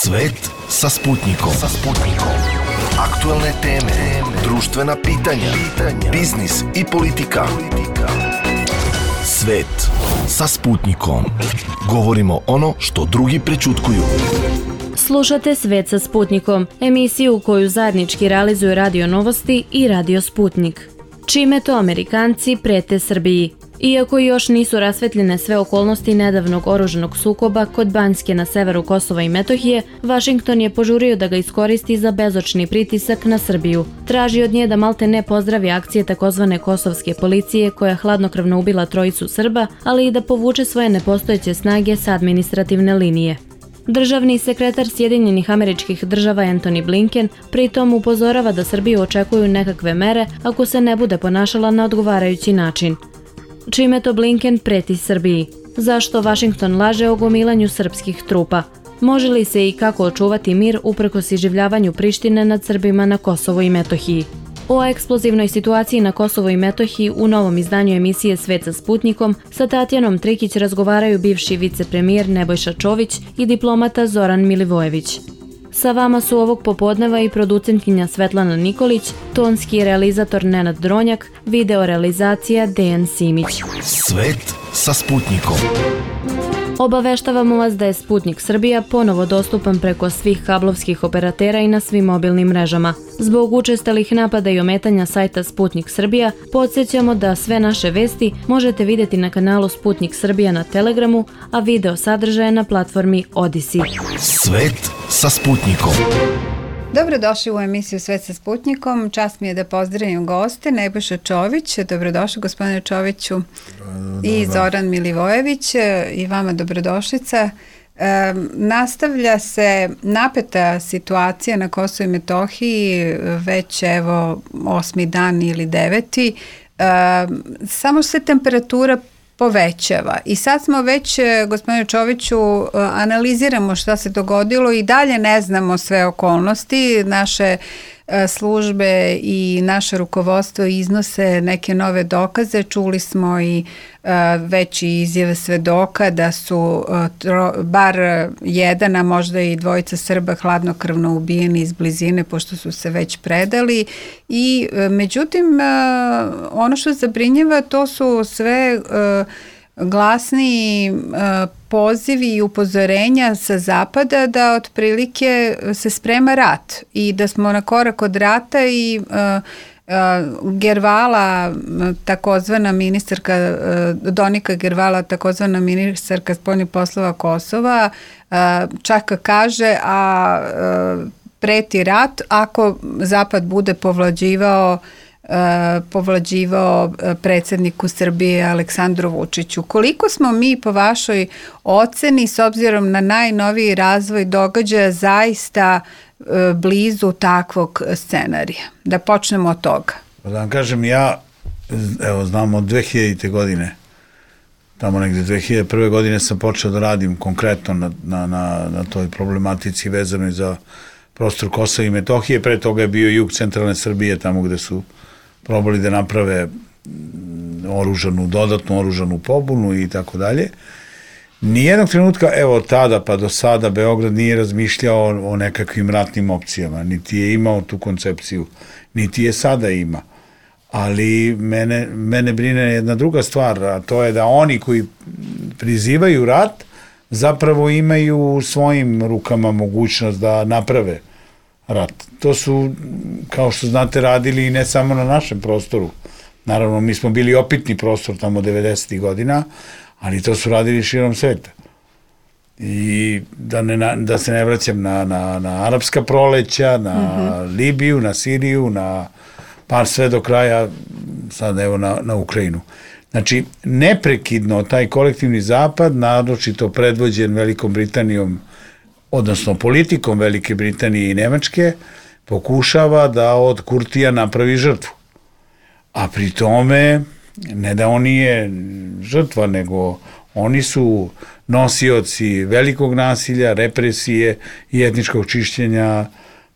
Svet sa Sputnikom. Aktuelne teme, društvena pitanja, biznis i politika. Svet sa Sputnikom. Govorimo ono što drugi prećutkuju. Slušate Svet sa Sputnikom, emisiju koju zajednički realizuju Radio Novosti i Radio Sputnik. Čime to Amerikanci prete Srbiji? Iako još nisu rasvetljene sve okolnosti nedavnog oružanog sukoba kod Banjske na severu Kosova i Metohije, Vašington je požurio da ga iskoristi za bezočni pritisak na Srbiju. Traži od nje da malte ne pozdravi akcije takozvane kosovske policije koja hladnokrvno ubila trojicu Srba, ali i da povuče svoje nepostojeće snage sa administrativne linije. Državni sekretar Sjedinjenih Američkih Država Antony Blinken pritom upozorava da Srbiju očekuju nekakve mere ako se ne bude ponašala na odgovarajući način. Čime to Blinken preti Srbiji? Zašto Vašington laže o gomilanju srpskih trupa? Može li se i kako očuvati mir uprkos iživljavanju Prištine nad Srbima na Kosovu i Metohiji? O eksplozivnoj situaciji na Kosovu i Metohiji u novom izdanju emisije Svet sa Sputnikom sa Tatjanom Trikić razgovaraju bivši vicepremijer Nebojša Čović i diplomata Zoran Milivojević. Sa vama su ovog popodneva i producentkinja Svetlana Nikolić, tonski realizator Nenad Dronjak, video realizacija Dejan Simić. Svet sa Sputnikom. Obaveštavamo vas da je Sputnik Srbija ponovo dostupan preko svih kablovskih operatera i na svim mobilnim mrežama. Zbog učestalih napada i ometanja sajta Sputnik Srbija, podsjećamo da sve naše vesti možete vidjeti na kanalu Sputnik Srbija na Telegramu, a video sadržaje na platformi Odisi. Svet sa Sputnikom. Dobrodošli u emisiju Svet sa Sputnikom. Čast mi je da pozdravim goste. Nebojša Čović, dobrodošli gospodine Čoviću. I Zoran Milivojević, i vama dobrodošlica. Nastavlja se napeta situacija na Kosovu i Metohiji, već evo 8. dan ili 9. Samo se temperatura povećava. I sad smo već, gospodine Čoviću, analiziramo šta se dogodilo i dalje ne znamo sve okolnosti. Naše službe i naše rukovodstvo iznose neke nove dokaze. Čuli smo i već i izjave svedoka da su bar jedan, a možda i dvojica Srba hladnokrvno ubijeni iz blizine pošto su se već predali. I međutim, ono što zabrinjava to su sve glasni pozivi i upozorenja sa zapada da otprilike se sprema rat i da smo na korak od rata i Gervala, takozvana ministarka Donika Gervala, takozvana ministarka spoljnih poslova Kosova, čak kaže, preti rat ako Zapad bude povlađivao predsjedniku Srbije Aleksandru Vučiću. Koliko smo mi po vašoj oceni s obzirom na najnoviji razvoj događaja zaista blizu takvog scenarija? Da počnemo od toga. Da vam kažem, ja znam od 2000. godine, tamo negde 2001. godine sam počeo da radim konkretno na toj problematici vezanoj za prostor Kosova i Metohije. Pre toga je bio jug centralne Srbije, tamo gde su probali da naprave dodatnu oružanu pobunu i tako dalje. Nijednog trenutka, evo tada pa do sada, Beograd nije razmišljao o nekakvim ratnim opcijama, niti je imao tu koncepciju, niti je sada ima. Ali mene brine jedna druga stvar, a to je da oni koji prizivaju rat zapravo imaju u svojim rukama mogućnost da naprave rat. To su, kao što znate, radili i ne samo na našem prostoru. Naravno, mi smo bili opitni prostor tamo 90. godina, ali to su radili širom sveta. I da se ne vraćam na arapska proleća, na Libiju, na Siriju, pa sve do kraja, sad evo na Ukrajinu. Znači, neprekidno taj kolektivni zapad, naročito predvođen Velikom Britanijom, odnosno politikom Velike Britanije i Nemačke, pokušava da od Kurtija napravi žrtvu. A pri tome, ne da on nije žrtva, nego oni su nosioci velikog nasilja, represije i etničkog čišćenja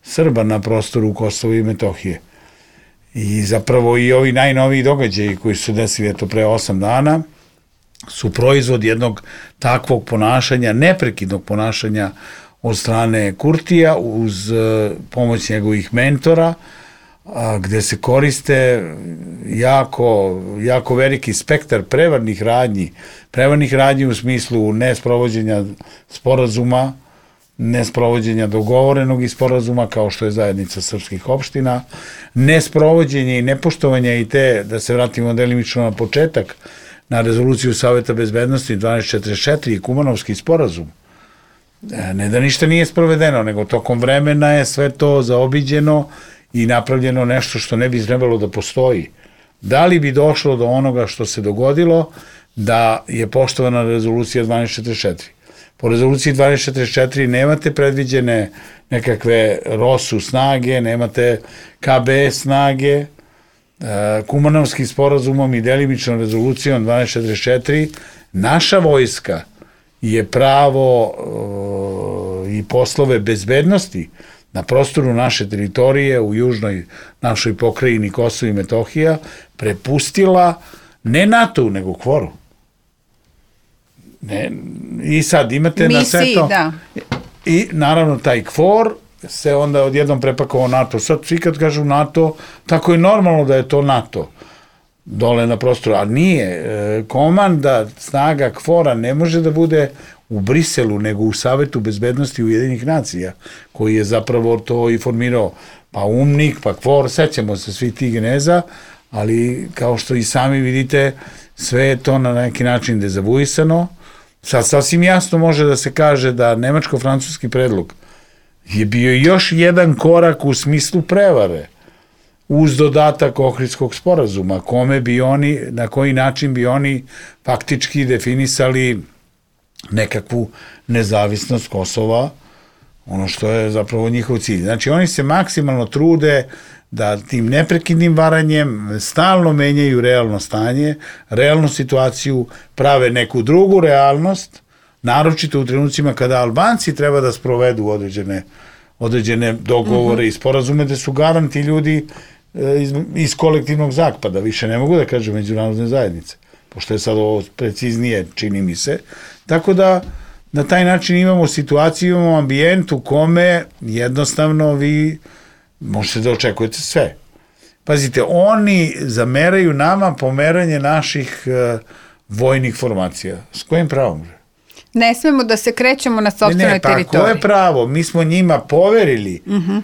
Srba na prostoru Kosova i Metohije. I zapravo i ovi najnoviji događaji koji su desili pre 8 dana su proizvod jednog takvog ponašanja, neprekidnog ponašanja od strane Kurtija uz pomoć njegovih mentora, gde se koriste jako veliki spektar prevarnih radnji u smislu nesprovođenja sporazuma, nesprovođenja dogovorenog i sporazuma, kao što je zajednica srpskih opština, nesprovođenje i nepoštovanje i te, da se vratimo delimično na početak, na rezoluciju Saveta bezbednosti 1244 i Kumanovski sporazum. Ne da ništa nije sprovedeno, nego tokom vremena je sve to zaobiđeno i napravljeno nešto što ne bi trebalo da postoji. Da li bi došlo do onoga što se dogodilo da je poštovana rezolucija 1244? Po rezoluciji 1244 nemate predviđene nekakve ROSU snage, nemate KBS snage, Kumanovskim sporazumom i delimičnom rezolucijom 1244 naša vojska je pravo i poslove bezbednosti na prostoru naše teritorije u južnoj našoj pokrajini Kosovo i Metohija prepustila ne NATO, nego KFOR-u. I sad imate na sve to. Da. I naravno taj KFOR se onda odjednom prepakovao NATO. Sad svi kad kažu NATO, tako je normalno da je to NATO dole na prostoru, a nije. Komanda snaga KFOR-a ne može da bude u Briselu, nego u Savetu bezbednosti Ujedinjenih nacija, koji je zapravo to i formirao, pa UNMIK, pa KFOR, sećamo se svi tih geneza, ali kao što i sami vidite, sve je to na neki način dezavuisano. Sad sasvim jasno može da se kaže da nemačko-francuski predlog je bio još jedan korak u smislu prevare, uz dodatak Ohridskog sporazuma, kome bi oni, na koji način bi oni faktički definisali nekakvu nezavisnost Kosova, ono što je zapravo njihov cilj. Znači, oni se maksimalno trude da tim neprekidnim varanjem stalno menjaju realno stanje, realnu situaciju, prave neku drugu realnost, naročito u trenucima kada Albanci treba da sprovedu određene dogovore i sporazume, da su garanti ljudi iz kolektivnog zapada, više ne mogu da kažem međunarodne zajednice, pošto je sad ovo preciznije, čini mi se. Tako da na taj način imamo situaciju, imamo ambijent u kome jednostavno vi možete da očekujete sve. Pazite, oni zameraju nama pomeranje naših vojnih formacija. S kojim pravom? Ne smemo da se krećemo na sopstvenoj teritoriji. Pa koje pravo? Mi smo njima poverili,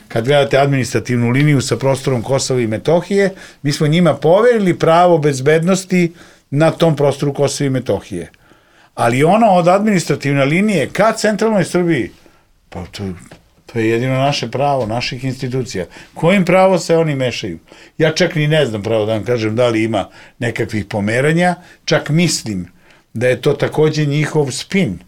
kad gledate administrativnu liniju sa prostorom Kosova i Metohije, mi smo njima poverili pravo bezbednosti na tom prostoru Kosova i Metohije. Ali ono od administrativne linije ka centralnoj Srbiji, pa to je jedino naše pravo, naših institucija. Kojim pravo se oni mešaju? Ja čak ni ne znam pravo da vam kažem da li ima nekakvih pomeranja, čak mislim da je to takođe njihov spin.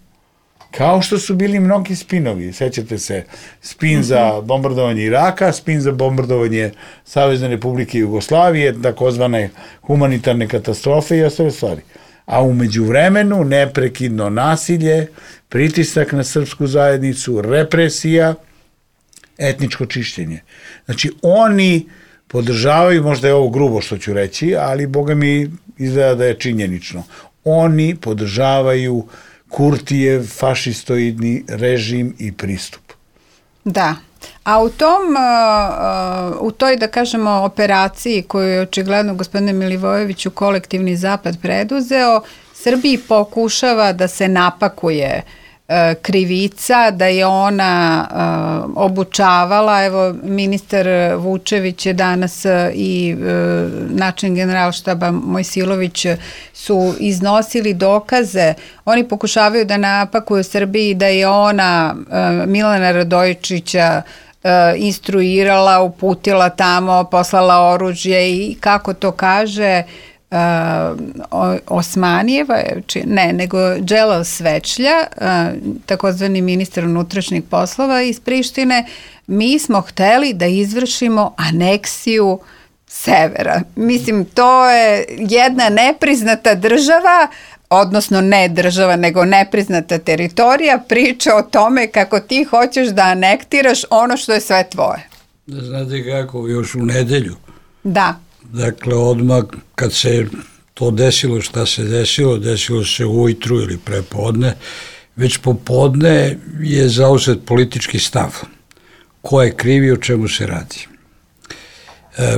Kao što su bili mnogi spinovi. Sećate se, spin za bombardovanje Iraka, spin za bombardovanje Savezne Republike Jugoslavije, takozvane humanitarne katastrofe i ostale stvari. A umeđu vremenu neprekidno nasilje, pritisak na srpsku zajednicu, represija, etničko čišćenje. Znači, oni podržavaju, možda je ovo grubo što ću reći, ali boga mi izgleda da je činjenično, oni podržavaju Kurtijev fašistoidni režim i pristup. Da. A u toj, da kažemo, operaciji koju je očigledno gospodine Milivojeviću kolektivni zapad preduzeo, Srbiji pokušava da se napakuje krivica, da je ona obučavala, evo ministar Vučević je danas i načelnik Generalštaba Mojsilović su iznosili dokaze, oni pokušavaju da napakuju Srbiji da je ona Milana Radojičića instruirala, uputila tamo, poslala oružje i kako to kaže Osmanijeva, nego Dželal Svečlja, takozvani ministar unutrašnjih poslova iz Prištine, mi smo hteli da izvršimo aneksiju severa. Mislim, to je jedna nepriznata država, odnosno ne država, nego nepriznata teritorija, priča o tome kako ti hoćeš da anektiraš ono što je sve tvoje. Znate kako, još u nedelju. Da. Dakle, odmah kad se to desilo, šta se desilo se ujutru ili prepodne, već popodne je zauzet politički stav. Ko je kriv i o čemu se radi.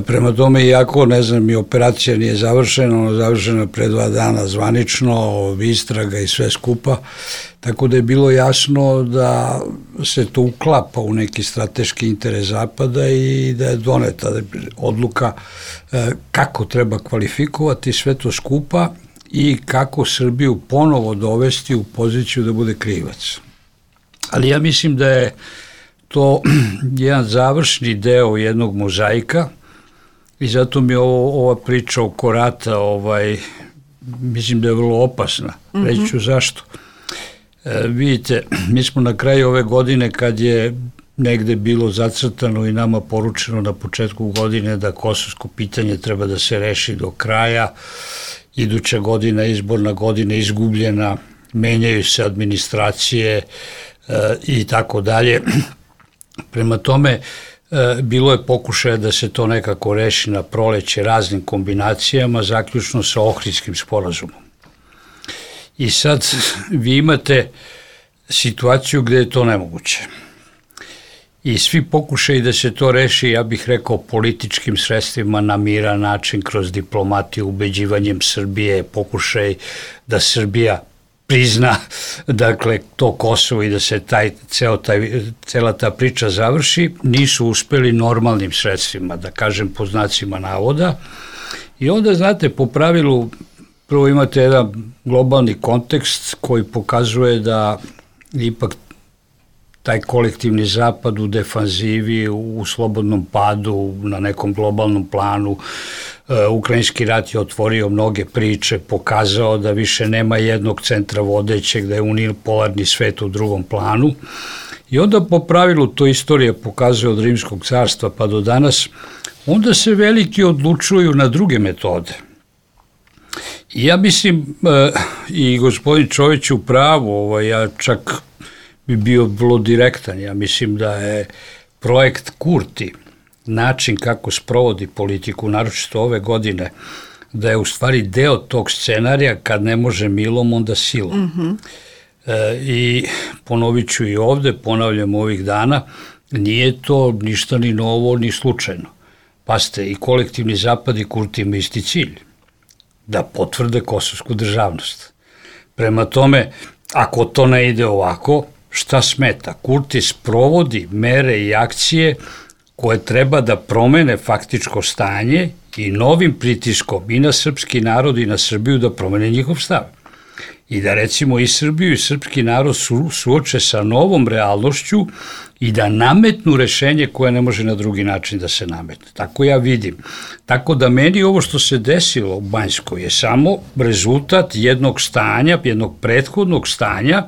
Prema tome, iako, ne znam, i operacija nije završena, ona je završena pre 2 dana zvanično, istraga i sve skupa, tako da je bilo jasno da se to uklapa u neki strateški interes Zapada i da je doneta odluka kako treba kvalifikovati sve to skupa i kako Srbiju ponovo dovesti u poziciju da bude krivac. Ali ja mislim da je to jedan završni deo jednog mozaika i zato mi ova priča oko rata, mislim da je vrlo opasna. Reći ću zašto. Vidite, mi smo na kraju ove godine, kad je negde bilo zacrtano i nama poručeno na početku godine da kosovsko pitanje treba da se reši do kraja, iduća godina, izborna godina izgubljena, menjaju se administracije i tako dalje. Prema tome, bilo je pokušaja da se to nekako reši na proleće raznim kombinacijama, zaključno sa Ohridskim sporazumom. I sad vi imate situaciju gde je to nemoguće. I svi pokušaju da se to reši, ja bih rekao, političkim sredstvima na miran način, kroz diplomatiju, ubeđivanjem Srbije, pokušaj da Srbija prizna, dakle, to Kosovo i da se cela ta priča završi, nisu uspeli normalnim sredstvima, da kažem po znacima navoda. I onda, znate, po pravilu, prvo imate jedan globalni kontekst koji pokazuje da ipak taj kolektivni zapad u defanzivi, u slobodnom padu, na nekom globalnom planu. Ukrajinski rat je otvorio mnoge priče, pokazao da više nema jednog centra vodećeg, da je unipolarni svet u drugom planu. I onda po pravilu, to istorija pokazuje od Rimskog carstva pa do danas, onda se veliki odlučuju na druge metode. I ja mislim, i gospodin Čović u pravu, ja čak bi bio vrlo direktan, ja mislim da je projekt Kurti, način kako sprovodi politiku, naročito ove godine, da je u stvari deo tog scenarija, kad ne može milom, onda silom. I ponovit ću i ovde, ponavljam ovih dana, nije to ništa ni novo, ni slučajno. Pazite, i kolektivni zapad i Kurti ima isti cilj, da potvrde kosovsku državnost. Prema tome, ako to ne ide ovako, šta smeta? Kurti sprovodi mere i akcije koje treba da promene faktičko stanje i novim pritiskom i na srpski narod i na Srbiju da promene njihov stav. I da recimo i Srbiju i srpski narod suoče sa novom realnošću i da nametnu rešenje koje ne može na drugi način da se nametne. Tako ja vidim. Tako da meni ovo što se desilo u Banjskoj je samo rezultat jednog stanja, jednog prethodnog stanja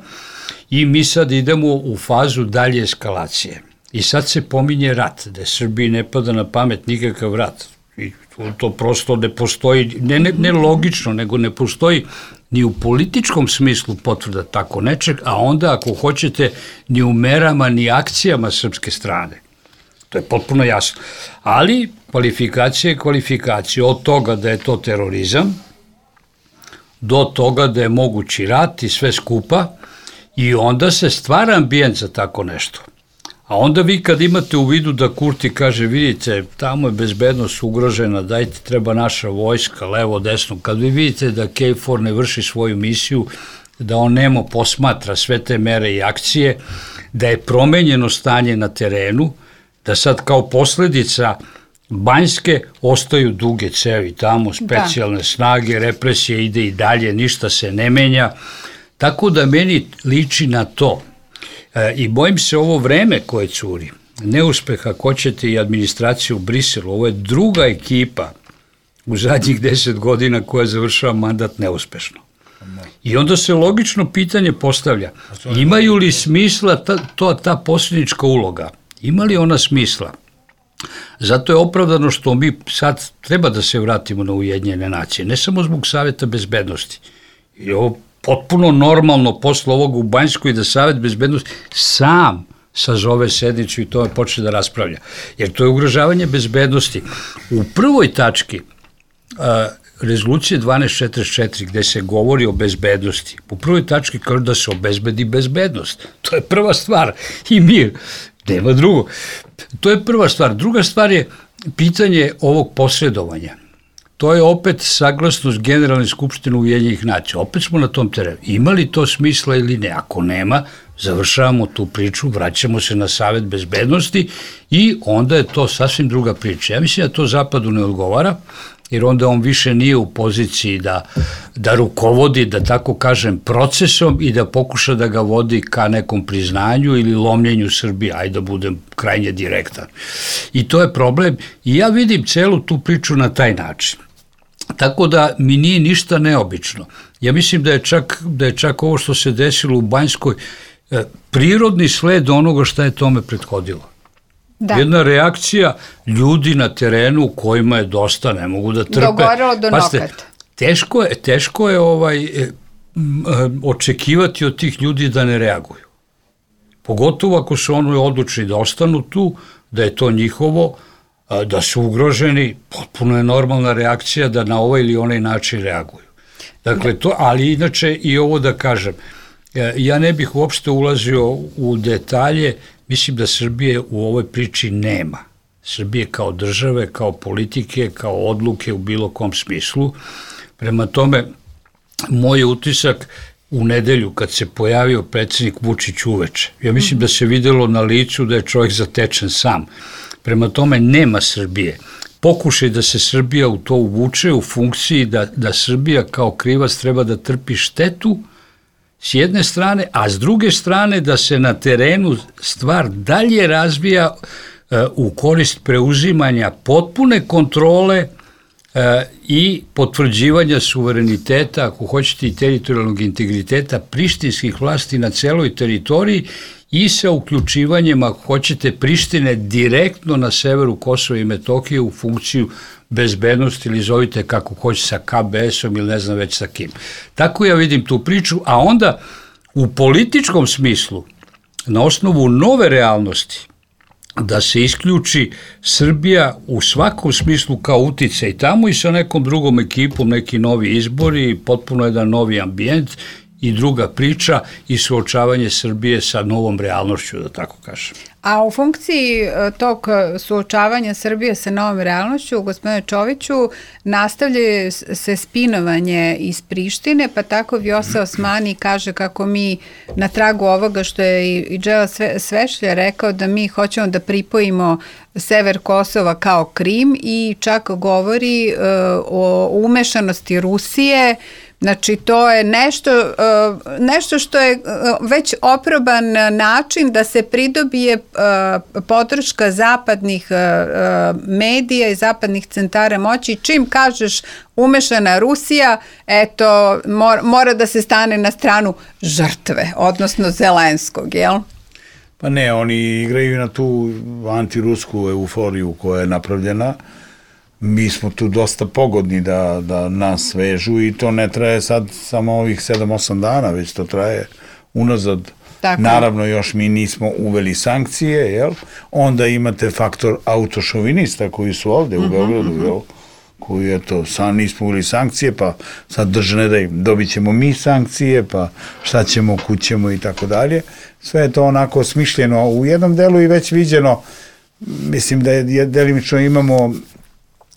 i mi sad idemo u fazu dalje eskalacije. I sad se pominje rat, da Srbiji ne pada na pamet nikakav rat. I to prosto ne postoji, ne logično, nego ne postoji ni u političkom smislu potvrda tako nečeg, a onda ako hoćete ni u merama ni akcijama srpske strane. To je potpuno jasno. Ali kvalifikacija je kvalifikacija od toga da je to terorizam do toga da je mogući rat i sve skupa i onda se stvara ambijent za tako nešto. A onda vi kad imate u vidu da Kurti kaže, vidite, tamo je bezbednost ugrožena, dajte, treba naša vojska, levo, desno, kad vi vidite da KFOR ne vrši svoju misiju, da on nemo posmatra sve te mere i akcije, da je promenjeno stanje na terenu, da sad kao posledica Banjske ostaju duge cevi tamo, specijalne snage, represije ide i dalje, ništa se ne menja, tako da meni liči na to. I bojim se ovo vreme koje curi, neuspeh ako hoćete i administraciju u Briselu, ovo je druga ekipa u zadnjih 10 godina koja završava mandat neuspešno. I onda se logično pitanje postavlja, imaju li smisla ta posljednička uloga? Ima li ona smisla? Zato je opravdano što mi sad treba da se vratimo na Ujedinjene nacije, ne samo zbog Saveta bezbednosti. I ovo potpuno normalno posle ovog u Banjskoj da Savet bezbednosti sam sazove sednicu i to počne da raspravlja. Jer to je ugrožavanje bezbednosti. U prvoj tački rezolucije 1244 gde se govori o bezbednosti, u prvoj tački kaže da se obezbedi bezbednost. To je prva stvar i mir. Nema drugo. To je prva stvar. Druga stvar je pitanje ovog posredovanja. To je opet saglasnost Generalne skupštine Ujedinjenih nacija. Opet smo na tom terenu. Ima li to smisla ili ne? Ako nema, završavamo tu priču, vraćamo se na Savet bezbednosti i onda je to sasvim druga priča. Ja mislim da to Zapadu ne odgovara, jer onda on više nije u poziciji da rukovodi, da tako kažem, procesom i da pokuša da ga vodi ka nekom priznanju ili lomljenju Srbije, ajde da budem krajnje direktan. I to je problem i ja vidim celu tu priču na taj način. Tako da mi nije ništa neobično. Ja mislim da je čak ovo što se desilo u Banjskoj prirodni sled onoga šta je tome prethodilo. Da. Jedna reakcija ljudi na terenu kojima je dosta, ne mogu da trpe. Dogorelo do nokata. Teško je očekivati od tih ljudi da ne reaguju. Pogotovo ako su oni odlučni da ostanu tu, da je to njihovo, da su ugroženi, potpuno je normalna reakcija da na ovaj ili onaj način reaguju. Dakle, to, ali inače i ovo da kažem, ja ne bih uopšte ulazio u detalje, mislim da Srbije u ovoj priči nema. Srbije kao države, kao politike, kao odluke u bilo kom smislu. Prema tome, moj utisak u nedelju kad se pojavio predsjednik Vučić uveče, ja mislim da se videlo na licu da je čovjek zatečen sam. Prema tome, nema Srbije. Pokušaj da se Srbija u to uvuče u funkciji da Srbija kao krivac treba da trpi štetu s jedne strane, a s druge strane da se na terenu stvar dalje razvija u korist preuzimanja potpune kontrole i potvrđivanja suvereniteta, ako hoćete i teritorijalnog integriteta prištinskih vlasti na celoj teritoriji i sa uključivanjem, ako hoćete, Prištine direktno na severu Kosova i Metohije u funkciju bezbednosti ili zovite kako hoće sa KBS-om ili ne znam već sa kim. Tako ja vidim tu priču, a onda u političkom smislu, na osnovu nove realnosti, da se isključi Srbija u svakom smislu kao uticaj tamo i sa nekom drugom ekipom, neki novi izbori, potpuno jedan novi ambijent i druga priča i suočavanje Srbije sa novom realnošću, da tako kažem. A u funkciji tog suočavanja Srbije sa novom realnošću, gospodine Čoviću, nastavlja se spinovanje iz Prištine, pa tako Vjosa Osmani kaže kako mi na tragu ovoga što je i Đela Svešlja rekao da mi hoćemo da pripojimo sever Kosova kao Krim i čak govori o umešanosti Rusije. Znači, to je nešto što je već oproban način da se pridobije podrška zapadnih medija i zapadnih centara moći. Čim kažeš umešana Rusija, eto, mora da se stane na stranu žrtve, odnosno Zelenskog, jel? Pa ne, oni igraju na tu antirusku euforiju koja je napravljena. Mi smo tu dosta pogodni da nas vežu i to ne traje sad samo ovih 7-8 dana, već to traje unazad. Tako. Naravno, još mi nismo uveli sankcije, jel? Onda imate faktor autošovinista koji su ovde u Beogradu, jel? Koji, eto, sad nismo uveli sankcije, pa sad držane da im dobit ćemo mi sankcije, pa šta ćemo, kućemo i tako dalje. Sve je to onako smišljeno u jednom delu i već viđeno. Mislim da je delimično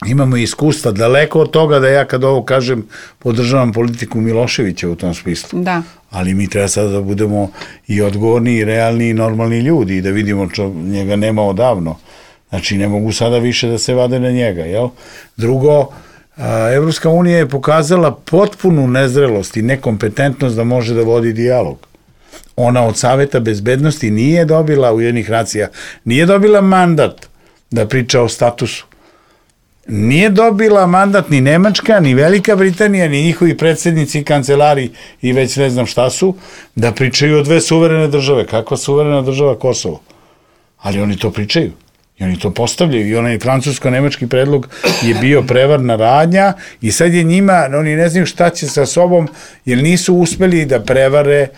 imamo iskustva, daleko od toga da ja kad ovo kažem podržavam politiku Miloševića u tom smislu. Da. Ali mi treba sada da budemo i odgovorni i realni i normalni ljudi i da vidimo njega nema odavno. Znači ne mogu sada više da se vade na njega, jel? Drugo, Evropska unija je pokazala potpunu nezrelost i nekompetentnost da može da vodi dijalog. Ona od Saveta bezbednosti nije dobila Ujedinjenih nacija, nije dobila mandat da priča o statusu. Nije dobila mandat ni Nemačka, ni Velika Britanija, ni njihovi predsjednici i kancelari i već ne znam šta su, da pričaju o dve suverene države. Kakva suverena država Kosovo? Ali oni to pričaju. I oni to postavljaju. I onaj francusko-nemački predlog je bio prevarna radnja i sad je njima, oni ne znaju šta će sa sobom, jer nisu uspeli da prevare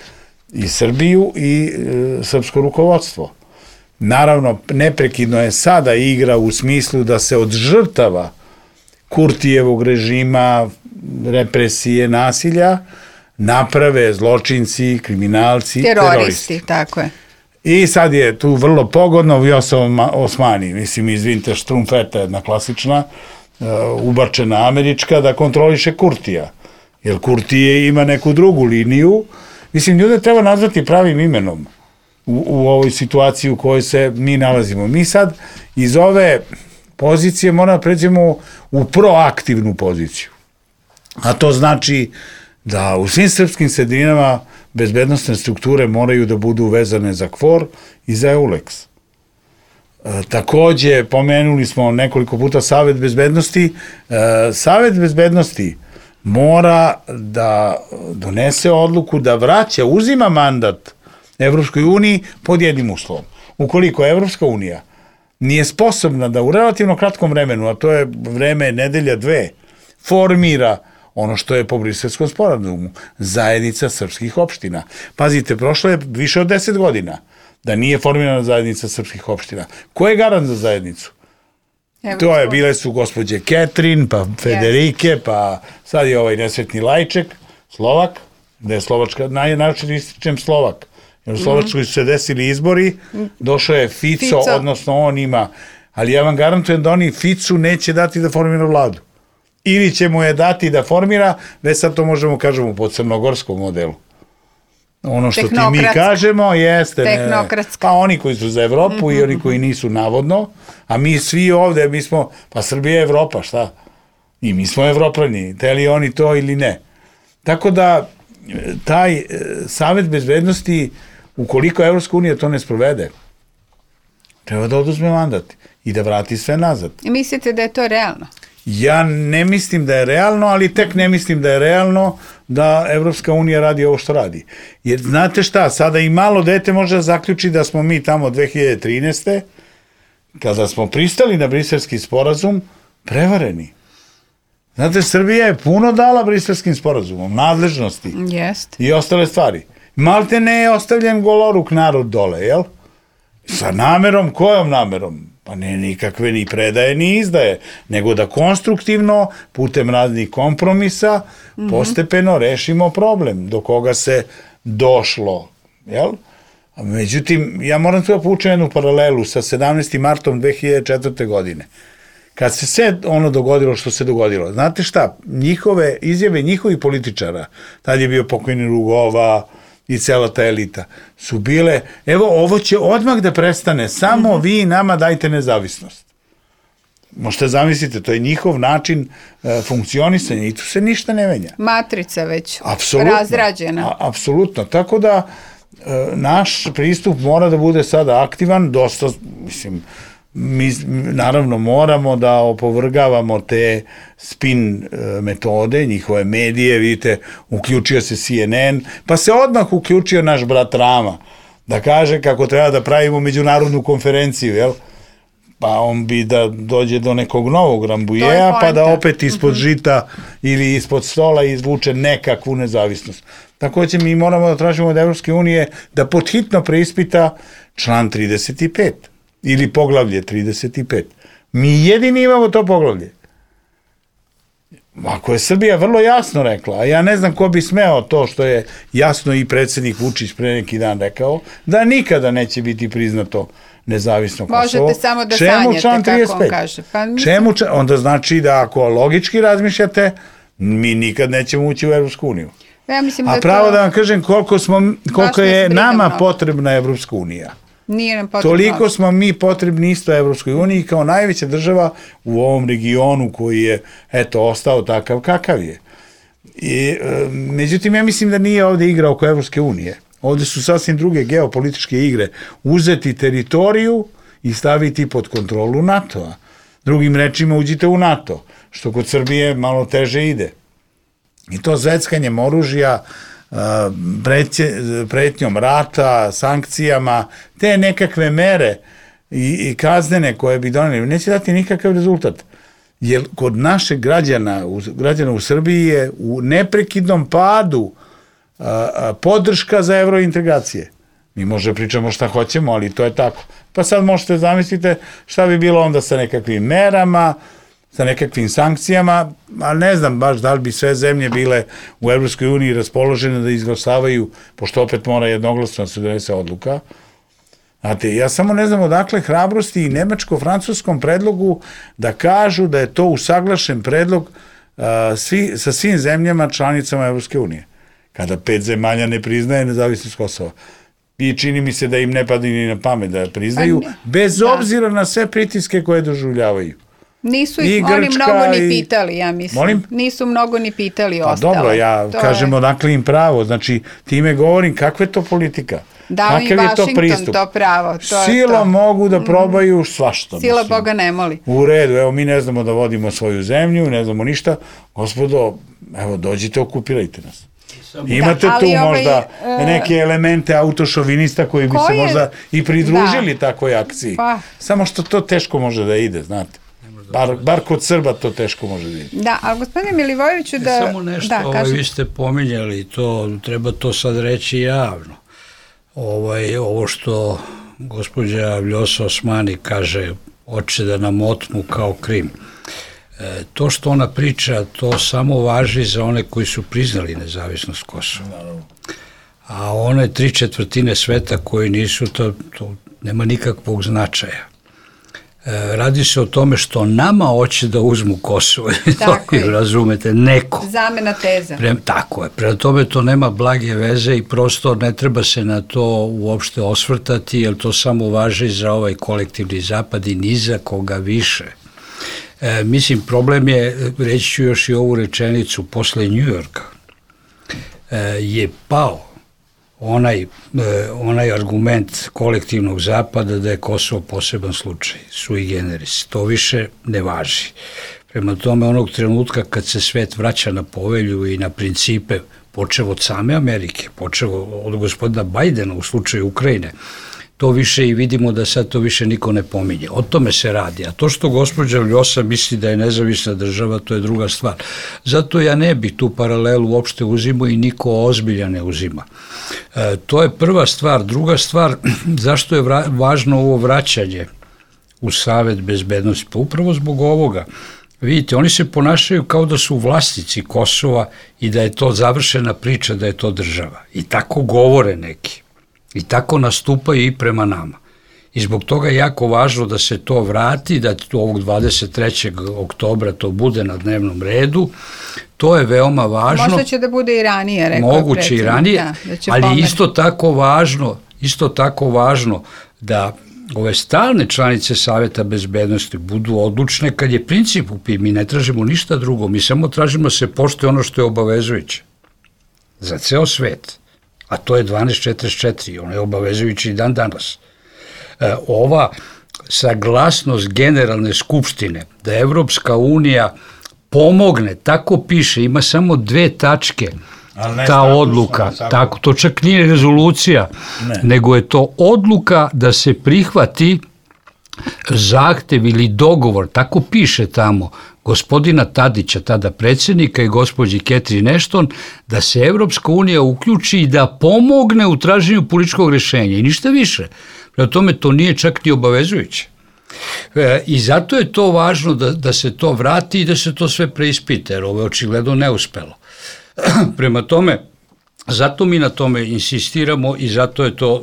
i Srbiju i srpsko rukovodstvo. Naravno, neprekidno je sada igra u smislu da se od žrtava Kurtijevog režima, represije, nasilja, naprave zločinci, kriminalci, teroristi. Tako je. I sad je tu vrlo pogodno Vjosa Osmani, mislim, izvinite, Štrumfeta, jedna klasična, ubačena američka, da kontroliše Kurtija. Jer Kurtije ima neku drugu liniju. Mislim, ljude treba nazvati pravim imenom u ovoj situaciji u kojoj se mi nalazimo. Mi sad iz ove pozicije moramo da pređemo u proaktivnu poziciju. A to znači da u svim srpskim sredinama bezbednostne strukture moraju da budu vezane za KFOR i za EULEX. Takođe, pomenuli smo nekoliko puta Savet bezbednosti. Savet bezbednosti mora da donese odluku da vraća, uzima mandat Evropskoj uniji pod jednim uslovom. Ukoliko Evropska unija nije sposobna da u relativno kratkom vremenu, a to je vreme nedelja dve, formira ono što je po Briselskom sporazumu, zajednica srpskih opština. Pazite, prošlo je više od 10 godina da nije formirana zajednica srpskih opština. Ko je garant za zajednicu? To je, bile su gospođe Ketrin, pa Federike, pa sad je ovaj nesretni Lajček, Slovak, da je Slovačka, najčešće ističem Slovak, jer u Slovačkoj su se desili izbori, došao je Fico, odnosno on ima, ali ja vam garantujem da oni Ficu neće dati da formira vladu. Ili će mu je dati da formira, već sad to možemo kažemo po crnogorskom modelu. Ono što ti mi kažemo jeste, pa oni koji su za Evropu i oni koji nisu navodno, a mi svi ovde, mi smo, pa Srbija je Evropa, šta? I mi smo Evropljani, teli oni to ili ne. Tako da, taj Savet bezbednosti, ukoliko Evropska unija to ne sprovede, treba da oduzme mandat i da vrati sve nazad. I mislite da je to realno? Ja ne mislim da je realno, ali tek ne mislim da je realno da Evropska unija radi ovo što radi. Jer znate šta, sada i malo dete može da zaključi da smo mi tamo 2013. kada smo pristali na Briselski sporazum, prevareni. Znate, Srbija je puno dala Briselskim sporazumom, nadležnosti i ostale stvari. Malte ne je ostavljen goloruk narod dole, jel? Sa namerom, kojom namerom? Pa ne nikakve ni predaje ni izdaje, nego da konstruktivno, putem raznih kompromisa, postepeno rešimo problem do koga se došlo. Jel? Međutim, ja moram tu da povučem jednu paralelu sa 17. martom 2004. godine. Kad se sve ono dogodilo što se dogodilo, znate šta, njihove izjave, njihovih političara, tad je bio pokojni Rugova i cela ta elita, su bile, evo, ovo će odmah da prestane, samo vi nama dajte nezavisnost. Možete zamislite, to je njihov način funkcionisanja i tu se ništa ne menja. Matrica već razrađena. Apsolutno, tako da naš pristup mora da bude sada aktivan, dosta, mislim, mi naravno moramo da opovrgavamo te spin metode, njihove medije, vidite, uključio se CNN, pa se odmah uključio naš brat Rama, da kaže kako treba da pravimo međunarodnu konferenciju, jel? Pa on bi da dođe do nekog novog Rambujeja, pa da opet ispod žita ili ispod stola izvuče nekakvu nezavisnost. Takođe mi moramo da tražimo od Evropske unije da podhitno preispita član 35. ili poglavlje 35. Mi jedini imamo to poglavlje. Ako je Srbija vrlo jasno rekla, a ja ne znam ko bi smeo to što je jasno i predsjednik Vučić pre neki dan rekao, da nikada neće biti priznato nezavisno Kosovo. Možete samo da sanjate, kako on kaže. Čemu? Onda znači da ako logički razmišljate, mi nikad nećemo ući u Evropsku uniju. A pravo da vam kažem koliko je nama potrebna Evropska unija. Toliko smo mi potrebni isto Evropskoj uniji kao najveća država u ovom regionu koji je, eto, ostao takav kakav je. Međutim, ja mislim da nije ovde igra oko Evropske unije. Ovde su sasvim druge geopolitičke igre. Uzeti teritoriju i staviti pod kontrolu NATO-a. Drugim rečima, uđite u NATO, što kod Srbije malo teže ide. I to zveckanjem oružja, pretnjom rata, sankcijama, te nekakve mere i kaznene koje bi doneli, neće dati nikakav rezultat. Jer kod našeg građana u Srbiji je u neprekidnom padu podrška za evrointegracije. Mi možda pričamo šta hoćemo, ali to je tako. Pa sad možete zamislite šta bi bilo onda sa nekakvim merama, sa nekakvim sankcijama, ali ne znam baš da li bi sve zemlje bile u Evropskoj uniji raspoložene da izglasavaju, pošto opet mora jednoglasno se donese odluka. Znate, ja samo ne znam odakle hrabrosti i nemačko-francuskom predlogu da kažu da je to usaglašen predlog sa svim zemljama članicama Evropske unije, kada 5 zemalja ne priznaje nezavisnost Kosova. I čini mi se da im ne padne ni na pamet da priznaju, bez obzira na sve pritiske koje doživljavaju. Nisu ih oni mnogo ni pitali, ja mislim. Molim? Nisu mnogo ni pitali ostalo. Dobro, ja kažem odakle im pravo, znači time govorim kakva je to politika. Dao im Washington to pravo. Sila mogu da probaju svašta. Sila Boga ne moli. U redu, evo mi ne znamo da vodimo svoju zemlju, ne znamo ništa. Gospodo, evo dođite, okupirajte nas. Imate tu možda neke elemente autošovinista koji bi se možda i pridružili takvoj akciji. Samo što to teško može da ide, znate. Bar kod Srba to teško može da ide. Da, ali gospodine Milivojeviću da... Samo nešto, vi ste pominjali, treba to sad reći javno. Ovo što gospođa Vljosa Osmani kaže, hoće da nam otmu kao Krim. To što ona priča, to samo važi za one koji su priznali nezavisnost Kosova. A one 3/4 sveta koji nisu, to nema nikakvog značaja. Radi se o tome što nama hoće da uzmu Kosovo. Tako je. Razumete, neko. Zamena teza. Tako je. Prema tome to nema blage veze i prosto ne treba se na to uopšte osvrtati, jer to samo važi za ovaj kolektivni zapad i ni za koga više. Mislim, problem je, reći ću još i ovu rečenicu, posle Njujorka je pao onaj argument kolektivnog zapada da je Kosovo poseban slučaj, sui generis. To više ne važi. Prema tome, onog trenutka kad se svet vraća na povelju i na principe, počev od same Amerike, počev od gospodina Bajdena u slučaju Ukrajine, to više i vidimo da sad to više niko ne pominje. O tome se radi. A to što gospođa Vljosa misli da je nezavisna država, to je druga stvar. Zato ja ne bih tu paralelu uopšte uzimao i niko ozbilja ne uzima. To je prva stvar. Druga stvar, zašto je važno ovo vraćanje u Savet bezbednosti? Pa upravo zbog ovoga. Vidite, oni se ponašaju kao da su vlasnici Kosova i da je to završena priča, da je to država. I tako govore neki. I tako nastupaju i prema nama. I zbog toga je jako važno da se to vrati, da ovog 23. oktobra to bude na dnevnom redu. To je veoma važno. Možda će da bude i ranije, rekao je predsjednik. Moguće i ranije, ali isto tako važno da ove stalne članice Saveta bezbednosti budu odlučne kad je princip u pitanju. Mi ne tražimo ništa drugo, mi samo tražimo da se poštuje ono što je obavezujuće za ceo svet. A to je 1244, ono je obavezujući i dan danas. Ova saglasnost Generalne skupštine da Evropska unija pomogne, tako piše, ima samo 2 tačke, ta odluka, tako, to čak nije rezolucija, nego je to odluka da se prihvati zahtev ili dogovor, tako piše tamo, gospodina Tadića, tada predsjednika, i gospođi Catherine Ashton, da se Evropska unija uključi i da pomogne u traženju političkog rješenja i ništa više. Prema tome to nije čak ni obavezujuće. I zato je to važno da se to vrati i da se to sve preispita, jer ovo je očigledno neuspelo. Prema tome, zato mi na tome insistiramo i zato je to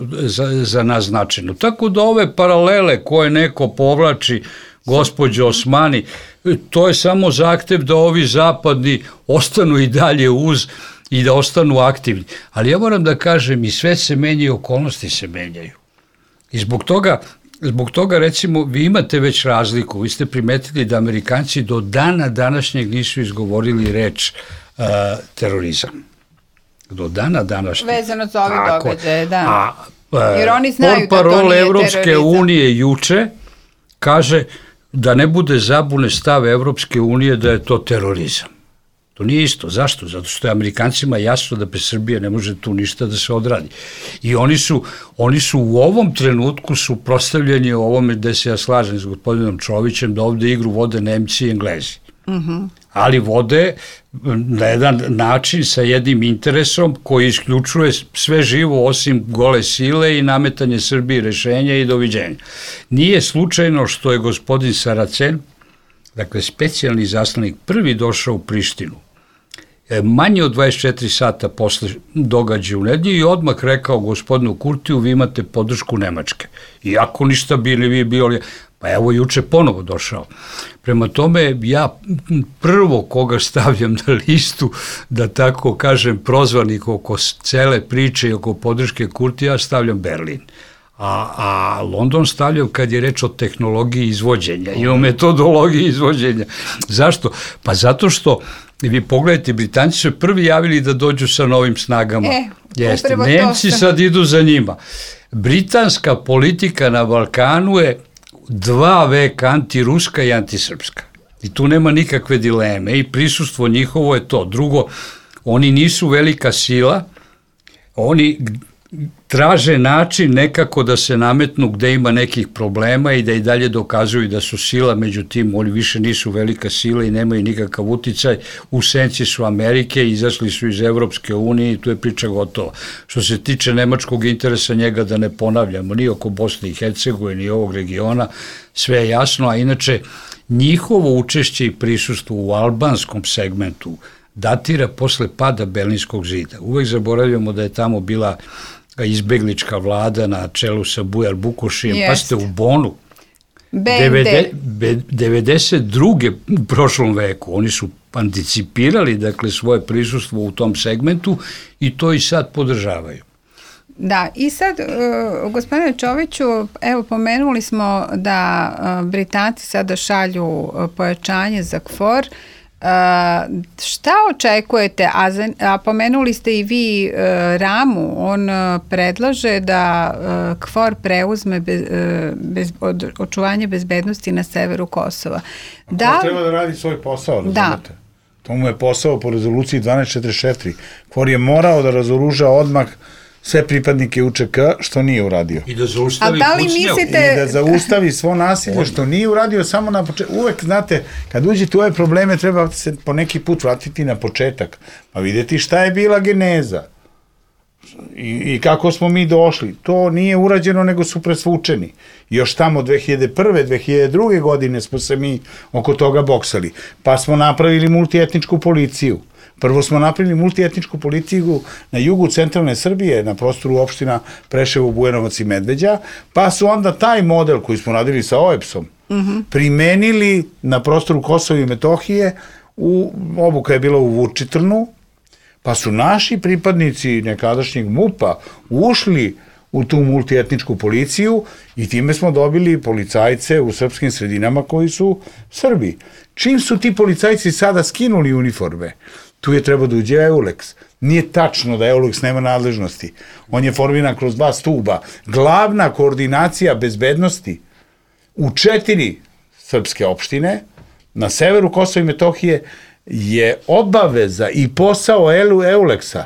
za nas značajno. Tako da ove paralele koje neko povlači, gospođo Osmani, to je samo zahtev da ovi zapadni ostanu i dalje uz i da ostanu aktivni. Ali ja moram da kažem, i sve se menja i okolnosti se menjaju. I zbog toga, recimo, vi imate već razliku. Vi ste primetili da Amerikanci do dana današnjeg nisu izgovorili reč terorizam. Do dana današnjeg. Vezano za ove događaje, da. Jer oni znaju da to nije portparol Evropske unije juče kaže da ne bude zabune stav Evropske unije da je to terorizam. To nije isto. Zašto? Zato što je Amerikancima jasno da bez Srbije ne može tu ništa da se odradi. I oni su u ovom trenutku suprotstavljeni ovome, gde se ja slažem s gospodinom Čovićem, da ovde igru vode Nemci i Englezi. Ali vode na jedan način sa jednim interesom koji isključuje sve živo osim gole sile i nametanje Srbiji rešenja i doviđenja. Nije slučajno što je gospodin Saracen dakle specijalni izaslanik, prvi došao u Prištinu, manje od 24 sata posle događaja u nedelju i odmah rekao gospodinu Kurtiju, vi imate podršku Nemačke. Iako ništa bili vi bili, pa evo juče ponovo došao. Prema tome, ja prvo koga stavljam na listu, da tako kažem, prozvanik oko cele priče i oko podrške Kurtija, stavljam Berlin. A London stavljam kad je reč o tehnologiji izvođenja i o metodologiji izvođenja. Zašto? Pa zato što, vi pogledajte, Britanci su prvi javili da dođu sa novim snagama. Jeste, Nemci sad idu za njima. Britanska politika na Balkanu je 2 veka antiruska i antisrpska. I tu nema nikakve dileme i prisustvo njihovo je to. Drugo, oni nisu velika sila, oni traže način nekako da se nametnu gde ima nekih problema i da i dalje dokazuju da su sila, međutim oni više nisu velika sila i nemaju nikakav uticaj, u senci su Amerike, izašli su iz Evropske unije i tu je priča gotova. Što se tiče nemačkog interesa, njega da ne ponavljamo, ni oko Bosne i Hercegovine, ni ovog regiona, sve je jasno, a inače njihovo učešće i prisustvo u albanskom segmentu datira posle pada Berlinskog zida. Uvek zaboravljamo da je tamo bila izbeglička vlada na čelu sa Bujar Bukošijem, pa ste u Bonu. 92. u prošlom veku. Oni su anticipirali, dakle, svoje prisustvo u tom segmentu i to i sad podržavaju. Da, i sad, gospodine Čoviću, evo, pomenuli smo da Britanci sada šalju pojačanje za KFOR. Šta očekujete, a pomenuli ste i vi Ramu, on predlaže da KFOR preuzme očuvanje bezbednosti na severu Kosova. KFOR treba da radi svoj posao, razumete? To mu je posao po rezoluciji 1244. KFOR je morao da razoruža odmah sve pripadnike UČK, što nije uradio. I da zaustavi I da zaustavi svo nasilje, što nije uradio samo na početku. Uvek, znate, kad uđete u ove probleme, treba se po neki put vratiti na početak, pa vidjeti šta je bila geneza i kako smo mi došli. To nije urađeno, nego su presvučeni. Još tamo 2001. 2002. godine smo se mi oko toga boksali. Pa smo napravili multietničku policiju. Prvo smo napravili multietničku policiju na jugu centralne Srbije, na prostoru opština Preševo, Bujanovac i Medveđa, pa su onda taj model koji smo radili sa OEBS-om primenili na prostoru Kosova i Metohije, obuka je bila u Vučitrnu, pa su naši pripadnici nekadašnjeg MUP-a ušli u tu multietničku policiju i time smo dobili policajce u srpskim sredinama koji su Srbi. Čim su ti policajci sada skinuli uniforme, tu je trebao da uđe EULEX. Nije tačno da EULEX nema nadležnosti. On je formiran kroz 2 stuba. Glavna koordinacija bezbednosti u 4 srpske opštine na severu Kosova i Metohije je obaveza i posao EULEX-a.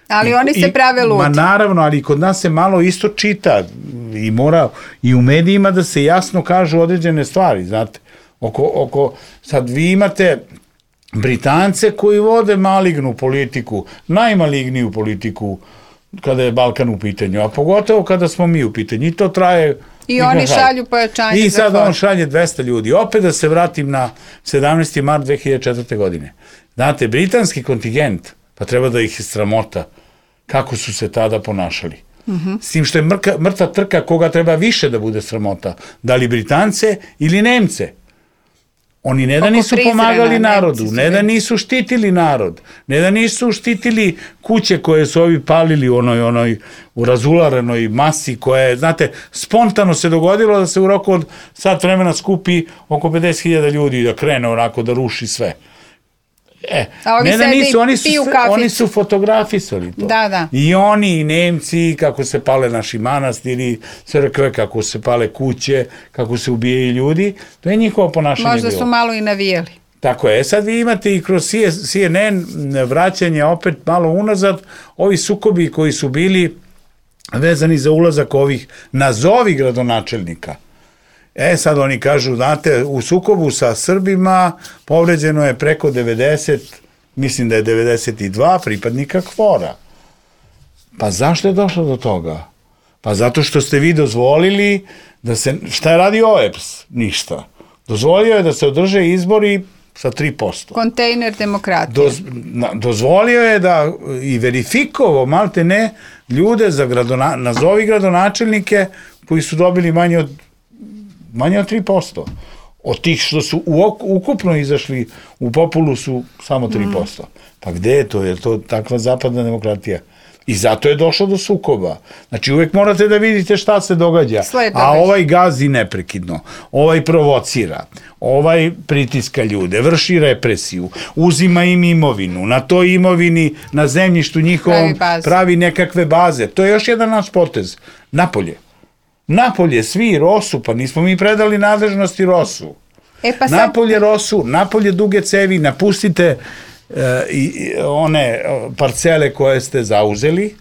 Ali oni se prave ludi. Ma naravno, ali kod nas se malo isto čita i mora i u medijima da se jasno kažu određene stvari, znate. Sad vi imate Britance koji vode malignu politiku, najmaligniju politiku kada je Balkan u pitanju, a pogotovo kada smo mi u pitanju. I to traje... I oni šalju pojačanje. I sad on šalje 200 ljudi. Opet da se vratim na 17. mart 2004. godine. Znate, britanski kontingent, pa treba da ih je sramota kako su se tada ponašali. S tim što je mrtva trka koga treba više da bude sramota. Da li Britance ili Nemce. Oni ne da nisu pomagali narodu, ne da nisu štitili narod, ne da nisu štitili kuće koje su ovi palili u razularanoj masi koja je, znate, spontano se dogodilo da se u roku od sat vremena skupi oko 50.000 ljudi da krene onako da ruši sve. Ne da nisu, oni su fotografisali to. Da. I oni, i Nemci, kako se pale naši manastiri, crkve, kako se pale kuće, kako se ubijaju ljudi, to je njihovo ponašanje bilo. Možda su malo i navijeli. Tako je, sad vi imate i kroz CNN vraćanje opet malo unazad, ovi sukobi koji su bili vezani za ulazak ovih nazovi gradonačelnika. Sad oni kažu, znate, u sukobu sa Srbima povređeno je preko 90, mislim da je 92 pripadnika KFOR-a. Pa zašto je došlo do toga? Pa zato što ste vi dozvolili da se, šta je radi OEBS? Ništa. Dozvolio je da se održe izbori sa 3%. Kontejner demokratije. Dozvolio je da i verifikovao, malte ne, ljude za nazovi gradonačelnike koji su dobili manje od 3%. Od tih što su ukupno izašli u populu su samo 3%. Pa gde je to? Je to takva zapadna demokratija? I zato je došlo do sukoba. Znači uvek morate da vidite šta se događa. A ovaj gazi neprekidno, ovaj provocira, ovaj pritiska ljude, vrši represiju, uzima im imovinu, na toj imovini, na zemljištu njihovom pravi nekakve baze. To je još jedan naš potez. Napolje, svi, Rosu, pa nismo mi predali nadležnosti Rosu. Napolje Rosu, napolje duge cevi, napustite one parcele koje ste zauzeli.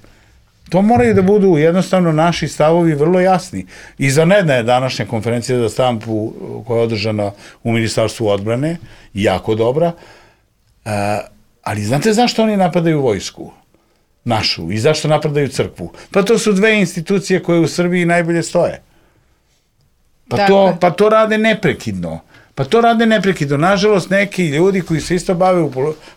To moraju da budu jednostavno naši stavovi vrlo jasni. Izvanredna je današnja konferencija za štampu koja je održana u Ministarstvu odbrane, jako dobra, ali znate zašto oni napadaju vojsku našu i zašto napadaju crkvu? Pa to su dve institucije koje u Srbiji najbolje stoje. Pa to rade neprekidno. Nažalost, neki ljudi koji se isto bave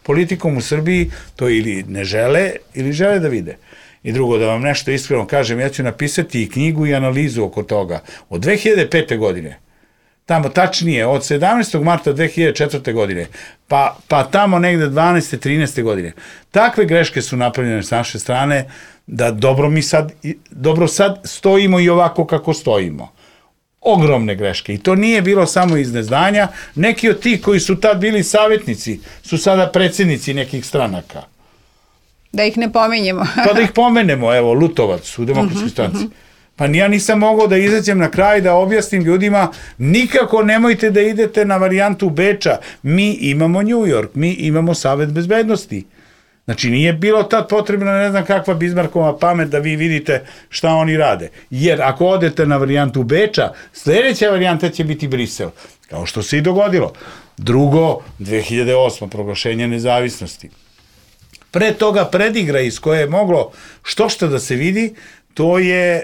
politikom u Srbiji to ili ne žele ili žele da vide. I drugo, da vam nešto iskreno kažem, ja ću napisati i knjigu i analizu oko toga. Od 2005. godine, tamo tačnije, od 17. marta 2004. godine, pa tamo negde 12. 13. godine, takve greške su napravljene s naše strane da dobro sad stojimo i ovako kako stojimo. Ogromne greške. I to nije bilo samo iz neznanja. Neki od tih koji su tad bili savjetnici su sada predsjednici nekih stranaka. Da ih ne pominjemo. Pa da ih pomenemo, evo, Lutovac u Demokratskoj stranci. Pa ja nisam mogao da izađem na kraj da objasnim ljudima, nikako nemojte da idete na varijantu Beča. Mi imamo New York, mi imamo Savet bezbednosti. Znači, nije bilo tad potrebno, ne znam kakva Bizmarkova pamet da vi vidite šta oni rade. Jer ako odete na varijantu Beča, sljedeća varijanta će biti Brisel. Kao što se i dogodilo. Drugo, 2008. proglašenje nezavisnosti. Pre toga predigra iz koje je moglo što da se vidi, to je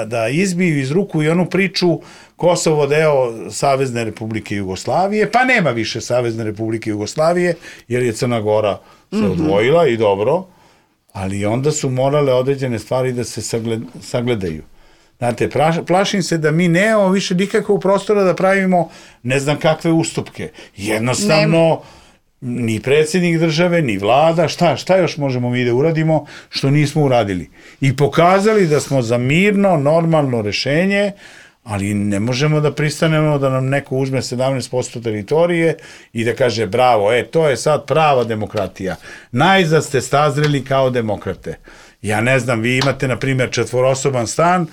da izbiju iz ruku i onu priču Kosovo deo Savezne Republike Jugoslavije, pa nema više Savezne Republike Jugoslavije, jer je Crna Gora se odvojila i dobro, ali onda su morale određene stvari da se sagledaju. Znate, plašim se da mi nemamo više nikakvog prostora da pravimo ne znam kakve ustupke. Jednostavno, ni predsjednik države, ni vlada, šta još možemo mi da uradimo što nismo uradili. I pokazali da smo za mirno, normalno rešenje, ali ne možemo da pristanemo da nam neko uzme 17% teritorije i da kaže bravo, to je sad prava demokratija. Najzad ste stazreli kao demokrate. Ja ne znam, vi imate, na primjer, 4-osoban stan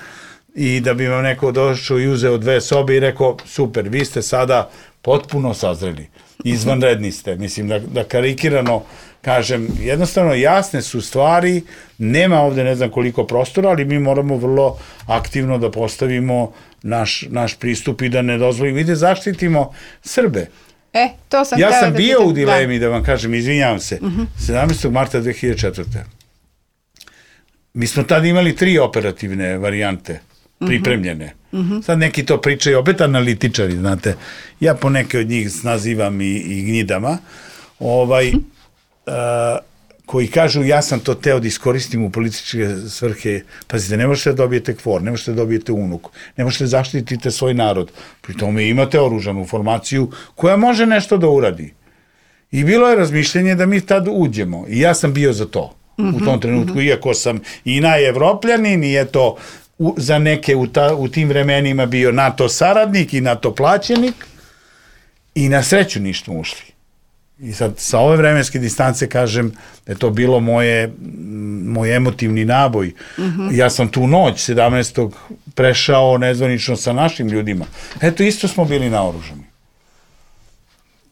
i da bi vam neko došao i uzeo 2 sobe i rekao, super, vi ste sada potpuno sazreli. Izvanredni ste. Mislim, da karikirano kažem, jednostavno jasne su stvari, nema ovde ne znam koliko prostora, ali mi moramo vrlo aktivno da postavimo naš pristup i da ne dozvolimo i da zaštitimo Srbe. To sam ja sam bio u dilemi, da vam kažem, izvinjavam se, 17. marta 2004. Mi smo tada imali 3 operativne varijante pripremljene. Sad neki to pričaju, opet analitičari, znate. Ja po neke od njih nazivam i gnjidama, koji kažu ja sam to teo da iskoristim u političke svrhe. Pazite, ne možete da dobijete kvor, ne možete da dobijete unuku, ne možete da zaštitite svoj narod. Pri tome imate oružanu formaciju koja može nešto da uradi. I bilo je razmišljenje da mi tad uđemo. I ja sam bio za to u tom trenutku, iako sam i najevropljanin i eto za neke u tim vremenima bio NATO saradnik i NATO plaćenik i na sreću nismo ušli. I sad sa ove vremenske distance kažem da je to bilo moj emotivni naboj. Ja sam tu noć 17. prešao nezvanično sa našim ljudima. Eto, isto smo bili naoružani.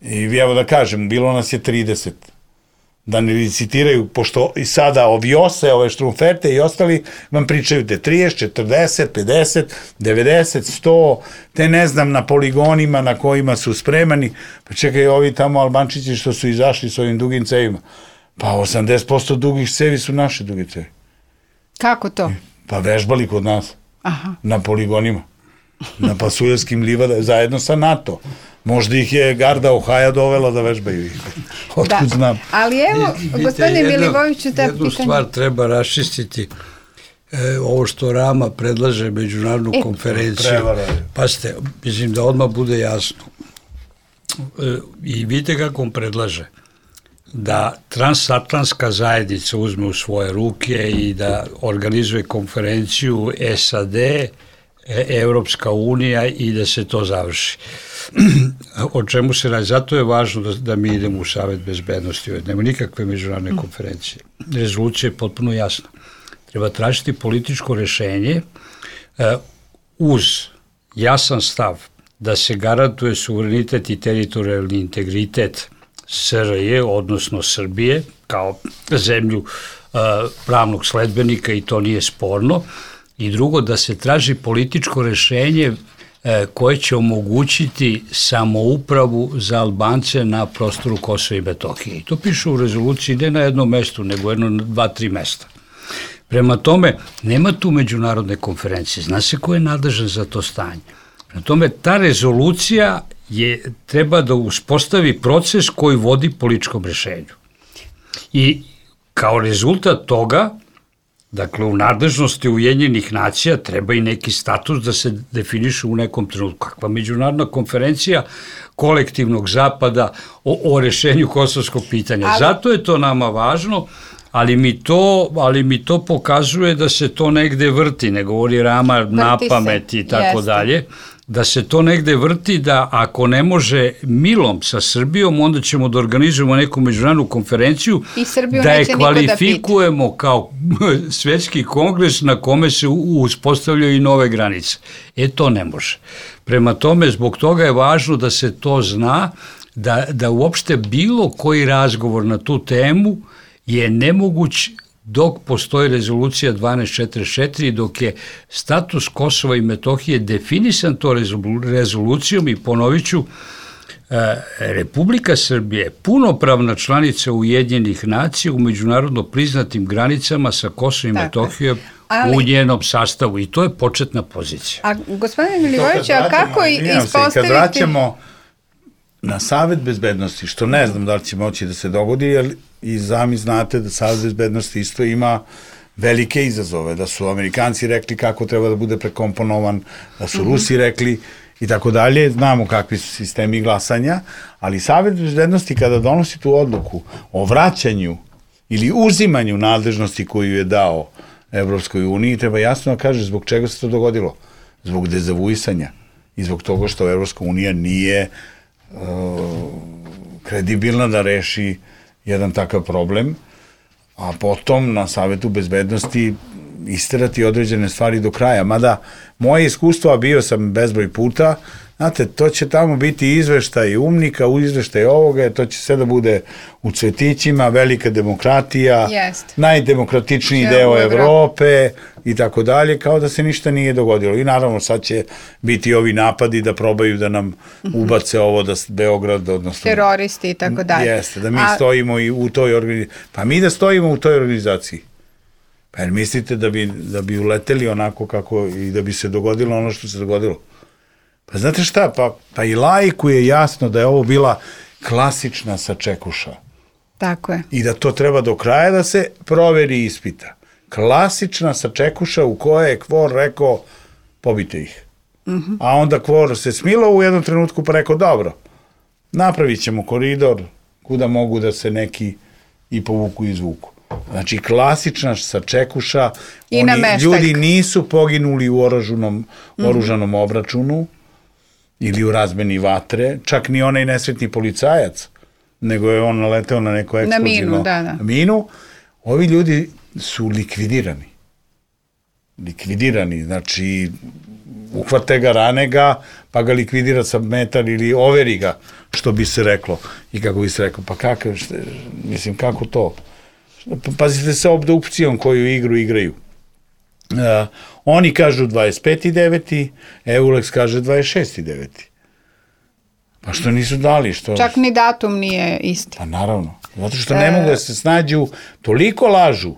I evo da kažem, bilo nas je 30. Da ne licitiraju, pošto i sada Oviose, ove Štrumferte i ostali vam pričaju te 30, 40, 50, 90, 100, te ne znam na poligonima na kojima su spremani. Pa čekaj, ovi tamo Albančići što su izašli s ovim dugim cevima. Pa 80% dugih cevi su naše duge cevi. Kako to? Pa vežbali kod nas. Na poligonima. na Pasuljevskim livadama, zajedno sa NATO. Možda ih je garda Ohaja dovela da vežbaju ih. Otkud znam. Ali evo, gospodine Milivojeviću, ta jednu stvar treba raščistiti. Ovo što Rama predlaže međunarodnu konferenciju. Pazite, mislim da odmah bude jasno. I vidite kako on predlaže. Da transatlantska zajednica uzme u svoje ruke i da organizuje konferenciju SAD, Evropska unija i da se to završi. O čemu se radi? Zato je važno da mi idemo u Savet bezbednosti. Nema nikakve međunarodne konferencije. Rezolucija je potpuno jasna. Treba tražiti političko rešenje uz jasan stav da se garantuje suverenitet i teritorijalni integritet SRJ, odnosno Srbije, kao zemlju pravnog sledbenika i to nije sporno. I drugo, da se traži političko rešenje koje će omogućiti samoupravu za Albance na prostoru Kosova i Metohije. I to piše u rezoluciji ne na jednom mestu, nego jedno 2-3 mesta. Prema tome, nema tu međunarodne konferencije. Zna se ko je nadležan za to stanje. Prema tome, ta rezolucija treba da uspostavi proces koji vodi političkom rešenju. I kao rezultat toga, dakle, u nadležnosti Ujedinjenih nacija treba i neki status da se definiše u nekom trenutku. Kakva međunarodna konferencija kolektivnog zapada o rešenju kosovskog pitanja. Zato je to nama važno, ali mi to pokazuje da se to negde vrti, ne govori Rama na pamet i tako dalje, da se to negde vrti, da ako ne milom sa Srbijom, onda ćemo da organizujemo neku međunarodnu konferenciju, da je kvalifikujemo kao svetski kongres na kome se uspostavljaju i nove granice. To ne može. Prema tome, zbog toga je važno da se to zna, da uopšte bilo koji razgovor na tu temu je nemoguć dok postoji rezolucija 1244, dok je status Kosova i Metohije definisan to rezolucijom, i ponovit ću, Republika Srbije je punopravna članica Ujedinjenih nacija u međunarodno priznatim granicama sa Kosovom i Metohijom u njenom sastavu, i to je početna pozicija. A gospodine Milivojeviću, a kako ispostaviti... Kad vraćamo na Savet bezbednosti, što ne znam da li će moći da se dogodi, jer i sami znate da Savet bezbednosti isto ima velike izazove, da su Amerikanci rekli kako treba da bude prekomponovan, da su Rusi rekli i tako dalje, znamo kakvi su sistemi glasanja, ali Savet bezbednosti kada donosi tu odluku o vraćanju ili uzimanju nadležnosti koju je dao Evropskoj uniji, treba jasno da kaže zbog čega se to dogodilo. Zbog dezavuisanja i zbog toga što Evropska unija nije kredibilna da reši jedan takav problem, a potom na Savetu bezbednosti isterati određene stvari do kraja. Mada moje iskustvo, a bio sam bezbroj puta, znate, to će tamo biti izveštaj umnika, izveštaj ovoga, to će sve da bude u cvetićima, velika demokratija, najdemokratičniji deo Evrope i tako dalje, kao da se ništa nije dogodilo. I naravno sad će biti ovi napadi da probaju da nam ubace ovo da Beograd, odnosno... teroristi i tako dalje. Jeste, da mi stojimo i u toj organizaciji. Pa mi da stojimo u toj organizaciji. Pa jer mislite da bi uleteli onako kako i da bi se dogodilo ono što se dogodilo? Pa znate šta, pa i laiku je jasno da je ovo bila klasična sačekuša. Tako je. I da to treba do kraja da se proveri i ispita. Klasična sačekuša u kojoj je Kvor rekao pobite ih. A onda Kvor se smilo u jednom trenutku pa rekao dobro, napravit ćemo koridor kuda mogu da se neki i povuku i izvuku. Znači, klasična sačekuša, ljudi nisu poginuli u oružanom obračunu ili u razmeni vatre, čak ni onaj nesretni policajac, nego je on naleteo na neko eksplozivno minu. Ovi ljudi su likvidirani, znači uhvate ga, rane ga, pa ga likvidira sa metar ili overi ga, što bi se reklo. I kako bi se reklo, pa kako to? Pazite sa obdukcijom koju igru igraju. Oni kažu 25.9. Eulex kaže 26.9. Pa što nisu dali? Čak ni datum nije isti. Pa naravno. Zato što ne mogu da se snađu, toliko lažu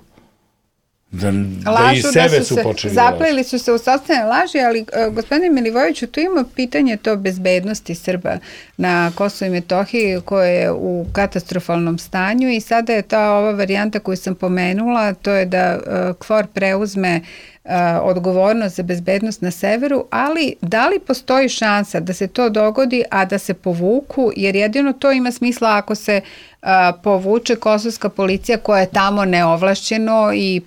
Da i sebe su počeli da lažu. Zapleli su se u sopstvene laži, ali gospodine Milivojeviću, tu ima pitanje to bezbednosti Srba na Kosovu i Metohiji koje je u katastrofalnom stanju i sada je ta ova varijanta koju sam pomenula, to je da KFOR preuzme odgovornost za bezbednost na severu, ali da li postoji šansa da se to dogodi, a da se povuku, jer jedino to ima smisla ako se povuče kosovska policija koja je tamo neovlašćeno i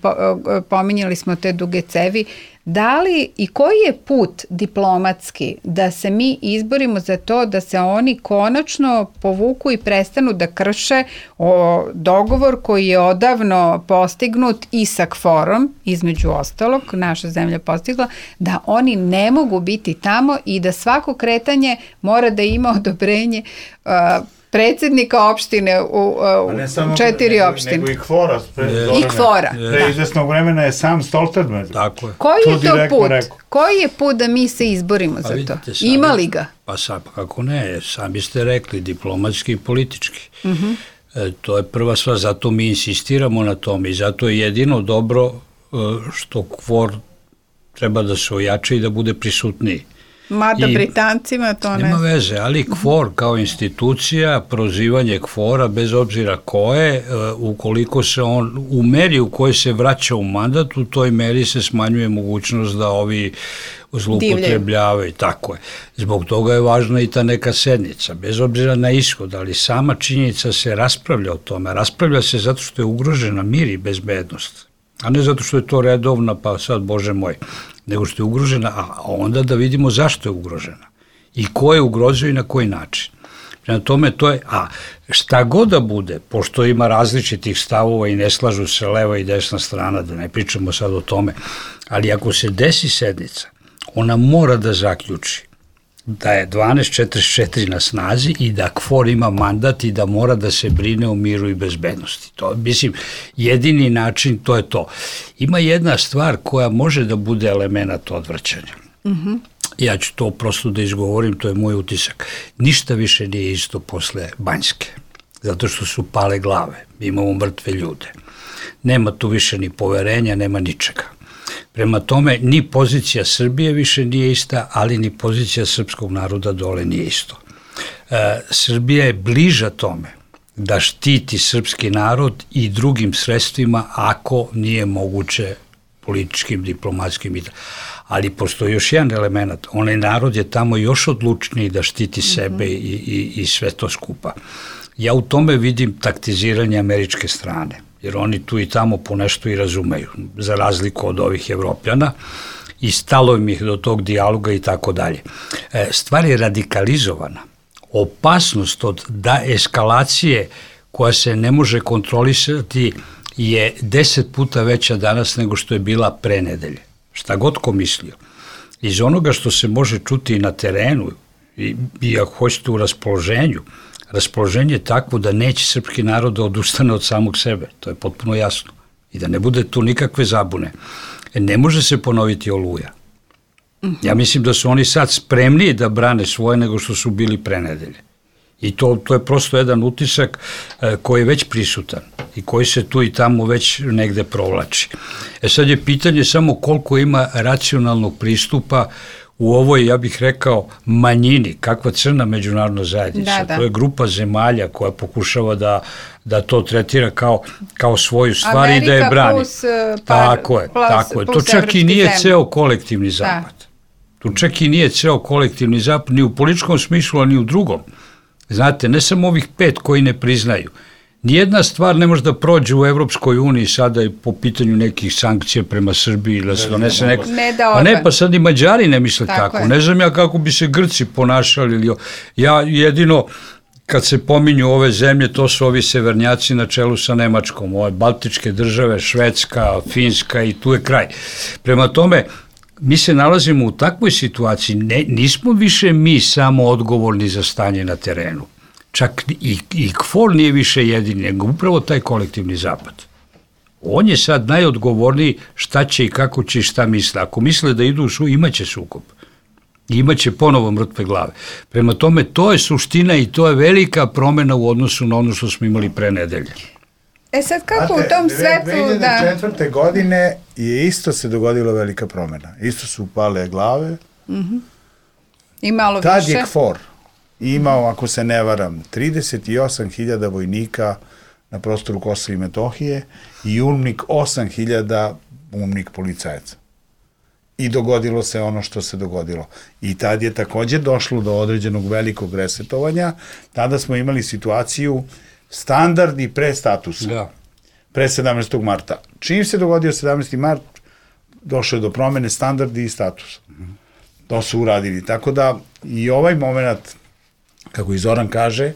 pominjali smo te duge cevi. Da li i koji je put diplomatski da se mi izborimo za to da se oni konačno povuku i prestanu da krše dogovor koji je odavno postignut i sa KFOR-om, između ostalog, naša zemlja postigla, da oni ne mogu biti tamo i da svako kretanje mora da ima odobrenje predsjednika opštine u 4 opštine. Nego i KFOR-a. I KFOR-a. Pre izvesnog vremena je sam Stoltenberg. Tako je. Koji je to put? Koji je put da mi se izborimo za to? Ima li ga? Pa sad, kako ne, sami ste rekli, diplomatski i politički. To je prva stvar, zato mi insistiramo na tome i zato je jedino dobro što KFOR treba da se ojača i da bude prisutniji. Mada Britancima to ne... Nema veze, ali KFOR kao institucija, prozivanje KFOR-a, bez obzira ko je, ukoliko se on u meri u kojoj se vraća u mandat, u toj meri se smanjuje mogućnost da ovi zloupotrebljavaju. Tako je. Zbog toga je važna i ta neka sednica, bez obzira na ishod, ali sama činjenica se raspravlja o tome. Raspravlja se zato što je ugrožena mir i bezbednost, a ne zato što je to redovna, pa sad, Bože moj, nego što je ugrožena, a onda da vidimo zašto je ugrožena i ko je ugrozio i na koji način. Prema tome, to je, a šta god da bude, pošto ima različitih stavova i ne slažu se leva i desna strana, da ne pričamo sad o tome, ali ako se desi sednica, ona mora da zaključi da je 1244 na snazi i da KFOR ima mandat i da mora da se brine o miru i bezbednosti. To, mislim, jedini način, to je to. Ima jedna stvar koja može da bude element odvraćanja. Ja ću to prosto da izgovorim, to je moj utisak. Ništa više nije isto posle Banjske, zato što su pale glave, imamo mrtve ljude. Nema tu više ni poverenja, nema ničega. Prema tome, ni pozicija Srbije više nije ista, ali ni pozicija srpskog naroda dole nije isto. Srbija je bliža tome da štiti srpski narod i drugim sredstvima ako nije moguće političkim, diplomatskim. Ali postoji još jedan element. Onaj narod je tamo još odlučniji da štiti sebe i sve to skupa. Ja u tome vidim taktiziranje američke strane, jer oni tu i tamo ponešto i razumeju, za razliku od ovih Evropljana, i stalo im ih do tog dijaloga i tako dalje. Stvar je radikalizovana. Opasnost od eskalacije koja se ne može kontrolisati je 10 puta veća danas nego što je bila pre nedelje. Šta god ko mislio. Iz onoga što se može čuti na terenu i ako hoćete u raspoloženju, raspoloženje je takvo da neće srpski narod da odustane od samog sebe. To je potpuno jasno. I da ne bude tu nikakve zabune. Ne može se ponoviti Oluja. Ja mislim da su oni sad spremniji da brane svoje nego što su bili pre nedelje. I to je prosto jedan utisak koji je već prisutan i koji se tu i tamo već negde provlači. Sad je pitanje samo koliko ima racionalnog pristupa u ovoj, ja bih rekao, manjini, kakva crna međunarodna zajednica. To je grupa zemalja koja pokušava da to tretira kao svoju stvar i da je brani. Tako je. To čak i nije ceo kolektivni zapad. Tu čak i nije ceo kolektivni zapad, ni u političkom smislu, a ni u drugom. Znate, ne samo ovih 5 koji ne priznaju. Nijedna stvar ne može da prođe u Evropskoj uniji sada i po pitanju nekih sankcija prema Srbiji, da se donese neko... Pa sad i Mađari ne misle tako. Ne znam ja kako bi se Grci ponašali. Ja jedino, kad se pominju ove zemlje, to su ovi severnjaci na čelu sa Nemačkom, ove Baltičke države, Švedska, Finska i tu je kraj. Prema tome, mi se nalazimo u takvoj situaciji, nismo više mi samo odgovorni za stanje na terenu. Čak i KFOR nije više jedini, nego upravo taj kolektivni zapad. On je sad najodgovorniji šta će i kako će i šta misle. Ako misle da idu u imaće sukob. Imaće ponovo mrtve glave. Prema tome, to je suština i to je velika promena u odnosu na ono što smo imali pre nedelje. Sad kako u tom svetlu... 2004. godine je isto se dogodila velika promena. Isto su upale glave. I malo više. Tad je KFOR imao, ako se ne varam, 38.000 vojnika na prostoru Kosova i Metohije i UNMIK 8.000 UNMIK policajaca. I dogodilo se ono što se dogodilo. I tad je takođe došlo do određenog velikog resetovanja. Tada smo imali situaciju standardi pre statusa. Da. Pre 17. marta. Čim se dogodio 17. mart, došlo je do promene standardi i statusa. To su uradili. Tako da i ovaj moment, kako i Zoran kaže,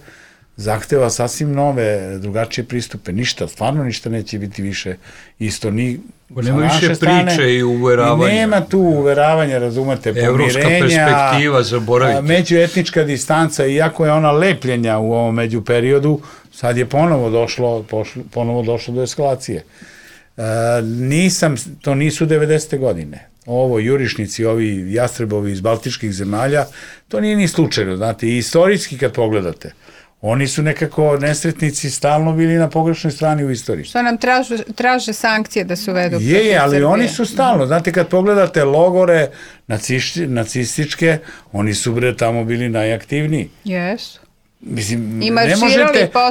zahteva sasvim nove, drugačije pristupe. Ništa, stvarno ništa neće biti više isto. Nema više priče i uveravanja. Nema tu uveravanja, razumete, pomirenja. Evropska perspektiva, zaboravite. Međuetnička distanca, iako je ona lepljenja u ovom međuperiodu, sad je ponovo došlo do eskalacije. To nisu 90. godine. Ovo, jurišnici, ovi jastrebovi iz baltičkih zemalja, to nije ni slučajno, znate, i istorijski kad pogledate, oni su nekako nesretnici stalno bili na pogrešnoj strani u istoriji. Što nam traže sankcije da se uvedu? Ali oni su stalno, znate, kad pogledate logore nacističke, oni su tamo bili najaktivniji. Jesu. Mislim,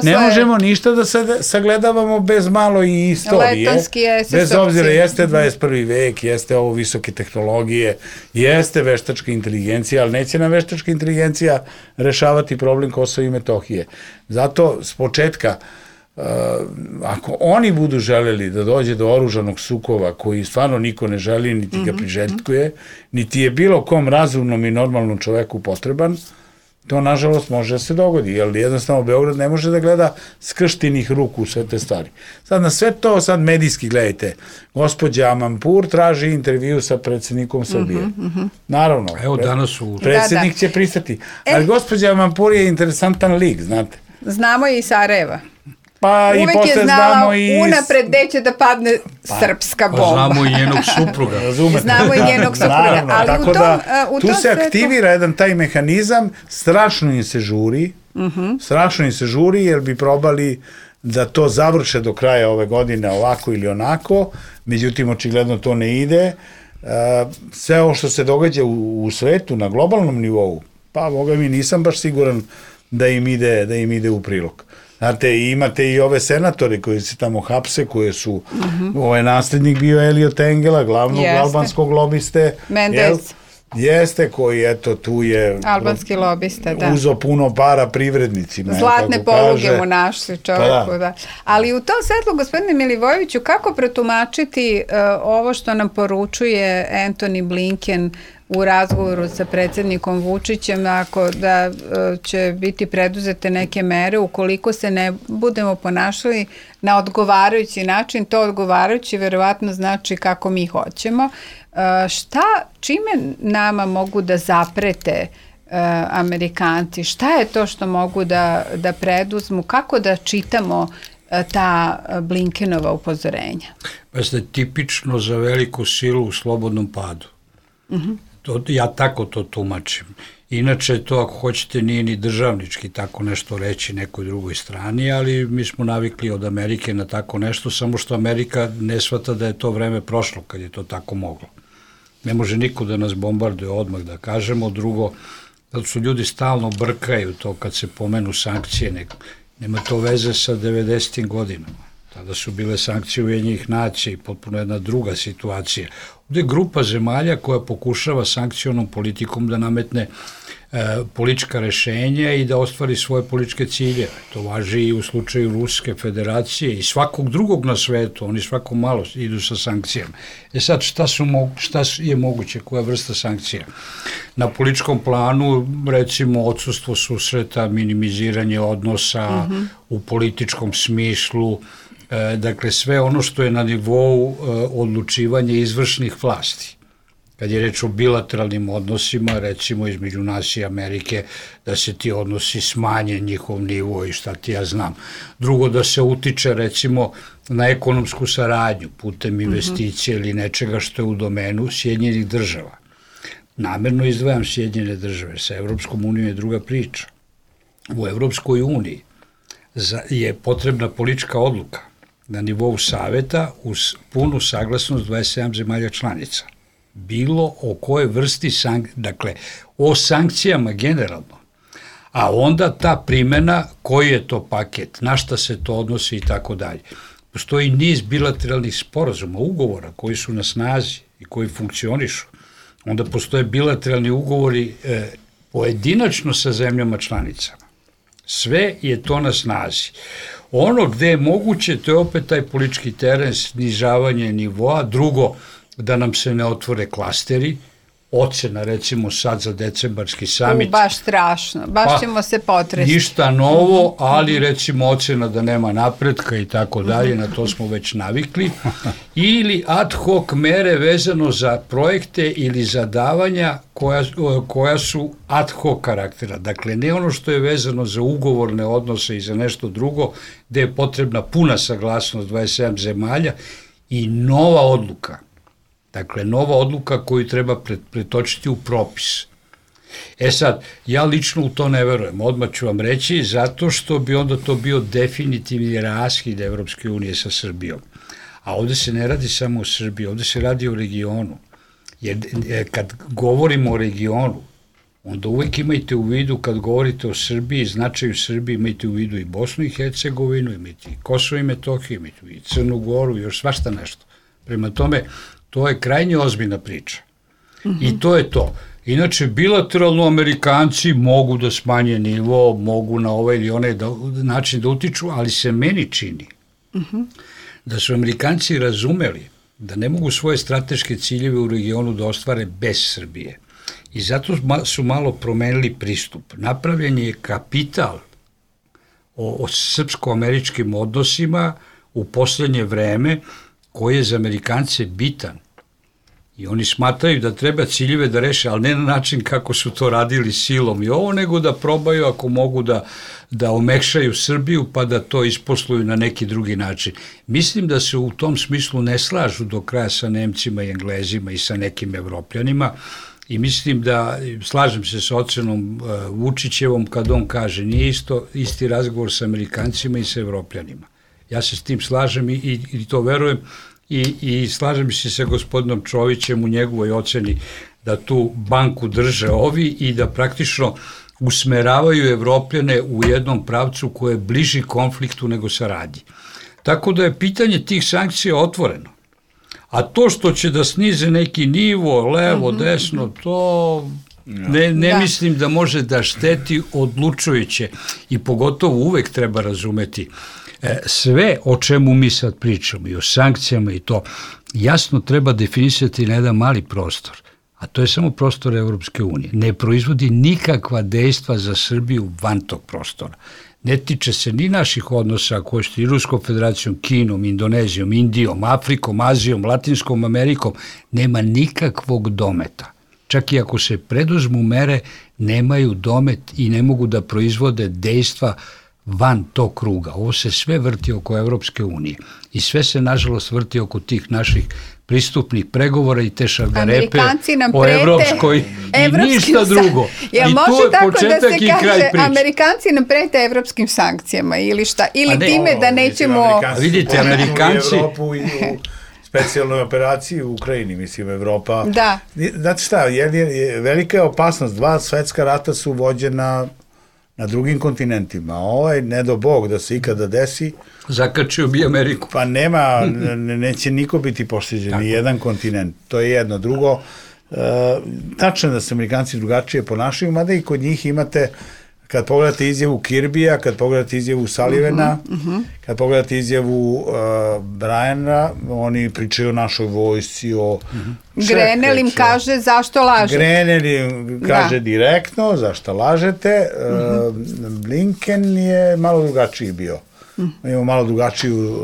ne možemo ništa da sagledavamo bez malo i istorije. Bez obzira, jeste 21. vek, jeste ovo visoke tehnologije, jeste veštačka inteligencija, ali neće nam veštačka inteligencija rešavati problem Kosova i Metohije. Zato, s početka, ako oni budu želeli da dođe do oružanog sukoba koji stvarno niko ne želi, niti ga priželjkuje, niti je bilo kom razumnom i normalnom čoveku potreban, to, nažalost, može da se dogodi, jer jednostavno Beograd ne može da gleda skrštenih ruku u sve te stvari. Sad na sve to, sad medijski gledajte, gospođa Amanpour traži intervju sa predsjednikom Srbije. Naravno, predsjednik će pristati. Ali gospođa Amanpour je interesantan lik, znate. Znamo je i Sarajeva. Uvek je znala unapred gde će da padne srpska bomba. Znamo i njenog supruga. Znamo i njenog supruga. Tako da, tu se aktivira jedan taj mehanizam, strašno im se žuri, jer bi probali da to završe do kraja ove godine ovako ili onako, međutim, očigledno to ne ide. Sve ovo što se događa u svetu, na globalnom nivou, pa, boga mi, nisam baš siguran da im ide u prilog. Znate, imate i ove senatore koji se tamo hapse, koje su, ovaj naslednik bio Eliot Engela, glavnog albanskog lobiste. Mendez. Jeste, koji, eto, tu je... Albanski lobista, da. Uzo puno para privrednicima. Zlatne poluge mu našli čovjeku, da. Ali u tom svetlu, gospodine Milivojeviću, kako pretumačiti ovo što nam poručuje Antony Blinken u razgovoru sa predsjednikom Vučićem, ako da će biti preduzete neke mere ukoliko se ne budemo ponašali na odgovarajući način, to odgovarajući verovatno znači kako mi hoćemo. Čime nama mogu da zaprete Amerikanci? Šta je to što mogu da preduzmu? Kako da čitamo ta Blinkenova upozorenja? Pa ste tipično za veliku silu u slobodnom padu. Ja tako to tumačim. Inače, to ako hoćete nije ni državnički tako nešto reći nekoj drugoj strani, ali mi smo navikli od Amerike na tako nešto, samo što Amerika ne shvata da je to vreme prošlo kad je to tako moglo. Ne može niko da nas bombarduje odmah, da kažemo. Drugo, zato su ljudi stalno brkaju to kad se pomenu sankcije, nema to veze sa 90. godinama. Tada su bile sankcije Ujedinjenih nacija i potpuno jedna druga situacija. Ovdje je grupa zemalja koja pokušava sankcionom politikom da nametne politička rešenja i da ostvari svoje političke ciljeve. To važi i u slučaju Ruske federacije i svakog drugog na svetu, oni svako malo idu sa sankcijama. Sad, šta je moguće, koja vrsta sankcija? Na političkom planu, recimo, odsustvo susreta, minimiziranje odnosa u političkom smislu, dakle, sve ono što je na nivou odlučivanja izvršnih vlasti. Kad je reč o bilateralnim odnosima, recimo između nas i Amerike, da se ti odnosi smanje njihov nivo i šta ti ja znam. Drugo, da se utiče, recimo, na ekonomsku saradnju putem investicije ili nečega što je u domenu Sjedinjenih država. Namerno izdvajam Sjedinjene države, sa Evropskom unijom je druga priča. U Evropskoj uniji je potrebna politička odluka na nivou saveta uz punu saglasnost 27 zemalja članica. Bilo o kojoj vrsti dakle, o sankcijama generalno. A onda ta primjena, koji je to paket, na šta se to odnosi i tako dalje. Postoji niz bilateralnih sporazuma, ugovora koji su na snazi i koji funkcionišu. Onda postoje bilateralni ugovori pojedinačno sa zemljama članicama. Sve je to na snazi. Ono gde je moguće, to je opet taj politički teren, snižavanje nivoa. Drugo, da nam se ne otvore klasteri. Ocena, recimo sad za decembarski samit. Baš strašno, baš ćemo se potresti. Ništa novo, ali recimo ocena da nema napretka i tako dalje, na to smo već navikli. Ili ad hoc mere vezano za projekte ili za davanja koja su ad hoc karaktera. Dakle, ne ono što je vezano za ugovorne odnose i za nešto drugo, gde je potrebna puna saglasnost 27 zemalja i nova odluka. Dakle, nova odluka koju treba pretočiti u propis. Sad, ja lično u to ne verujem, odmah ću vam reći, zato što bi onda to bio definitivni raskid Evropske unije sa Srbijom. A ovde se ne radi samo o Srbiji, ovde se radi o regionu. Jer kad govorimo o regionu, onda uvek imajte u vidu, kad govorite o Srbiji, značaju Srbije, imajte u vidu i Bosnu i Hercegovinu, imajte i Kosovo i Metohiju, imajte i Crnu Goru, još svašta nešto. Prema tome, to je krajnje ozbiljna priča. I to je to. Inače, bilateralno Amerikanci mogu da smanje nivo, mogu na ovaj ili onaj način da utiču, ali se meni čini da su Amerikanci razumeli da ne mogu svoje strateške ciljeve u regionu da ostvare bez Srbije. I zato su malo promenili pristup. Napravljen je kapital o srpsko-američkim odnosima u poslednje vreme, koji je za Amerikance bitan. I oni smatraju da treba ciljeve da reše, ali ne na način kako su to radili silom i ovo, nego da probaju ako mogu da omekšaju Srbiju pa da to isposluju na neki drugi način. Mislim da se u tom smislu ne slažu do kraja sa Nemcima i Englezima i sa nekim Evropljanima i mislim da, slažem se sa ocenom Vučićevom kad on kaže, nije isti razgovor sa Amerikancima i sa Evropljanima. Ja se s tim slažem i to verujem i slažem se sa gospodinom Čovićem u njegovoj oceni da tu banku drže ovi i da praktično usmeravaju Evropljane u jednom pravcu koje je bliži konfliktu nego saradnji. Tako da je pitanje tih sankcija otvoreno. A to što će da snize neki nivo, levo, desno, to ne mislim da može da šteti odlučujuće i pogotovo uvek treba razumeti sve o čemu mi sad pričamo i o sankcijama i to jasno treba definisati na jedan mali prostor, a to je samo prostor Evropske unije. Ne proizvodi nikakva dejstva za Srbiju van tog prostora. Ne tiče se ni naših odnosa koje su i Ruskom federacijom, Kinom, Indonezijom, Indijom, Afrikom, Azijom, Latinskom Amerikom, nema nikakvog dometa. Čak i ako se preduzmu mere, nemaju domet i ne mogu da proizvode dejstva van tog kruga. Ovo se sve vrti oko Evropske unije i sve se nažalost vrti oko tih naših pristupnih pregovora i te šargarepe o Evropskoj i ništa drugo. I to je početak i kraj priče. Amerikanci nam prete evropskim sankcijama ili šta? Ili time da nećemo... Vidite, Amerikanci... U Evropu i u specijalnoj operaciji u Ukrajini, mislim, Evropa... Da. Znate šta, velika je opasnost. 2 svetska rata su vođena na drugim kontinentima. Ovaj, ne do Bog da se ikada desi. Zakačio bi Ameriku. Pa nema, neće niko biti pošteđen, ni jedan kontinent. To je jedno. Drugo, tačno da se Amerikanci drugačije ponašaju, mada i kod njih imate, kad pogledate izjavu Kirbija, kad pogledate izjavu Sullivana, kad pogledate izjavu Briana, oni pričaju o našoj vojsci, o... Grenell im kaže zašto lažete. Grenell im kaže direktno zašto lažete. Blinken je malo drugačiji bio. Imamo malo drugačiju...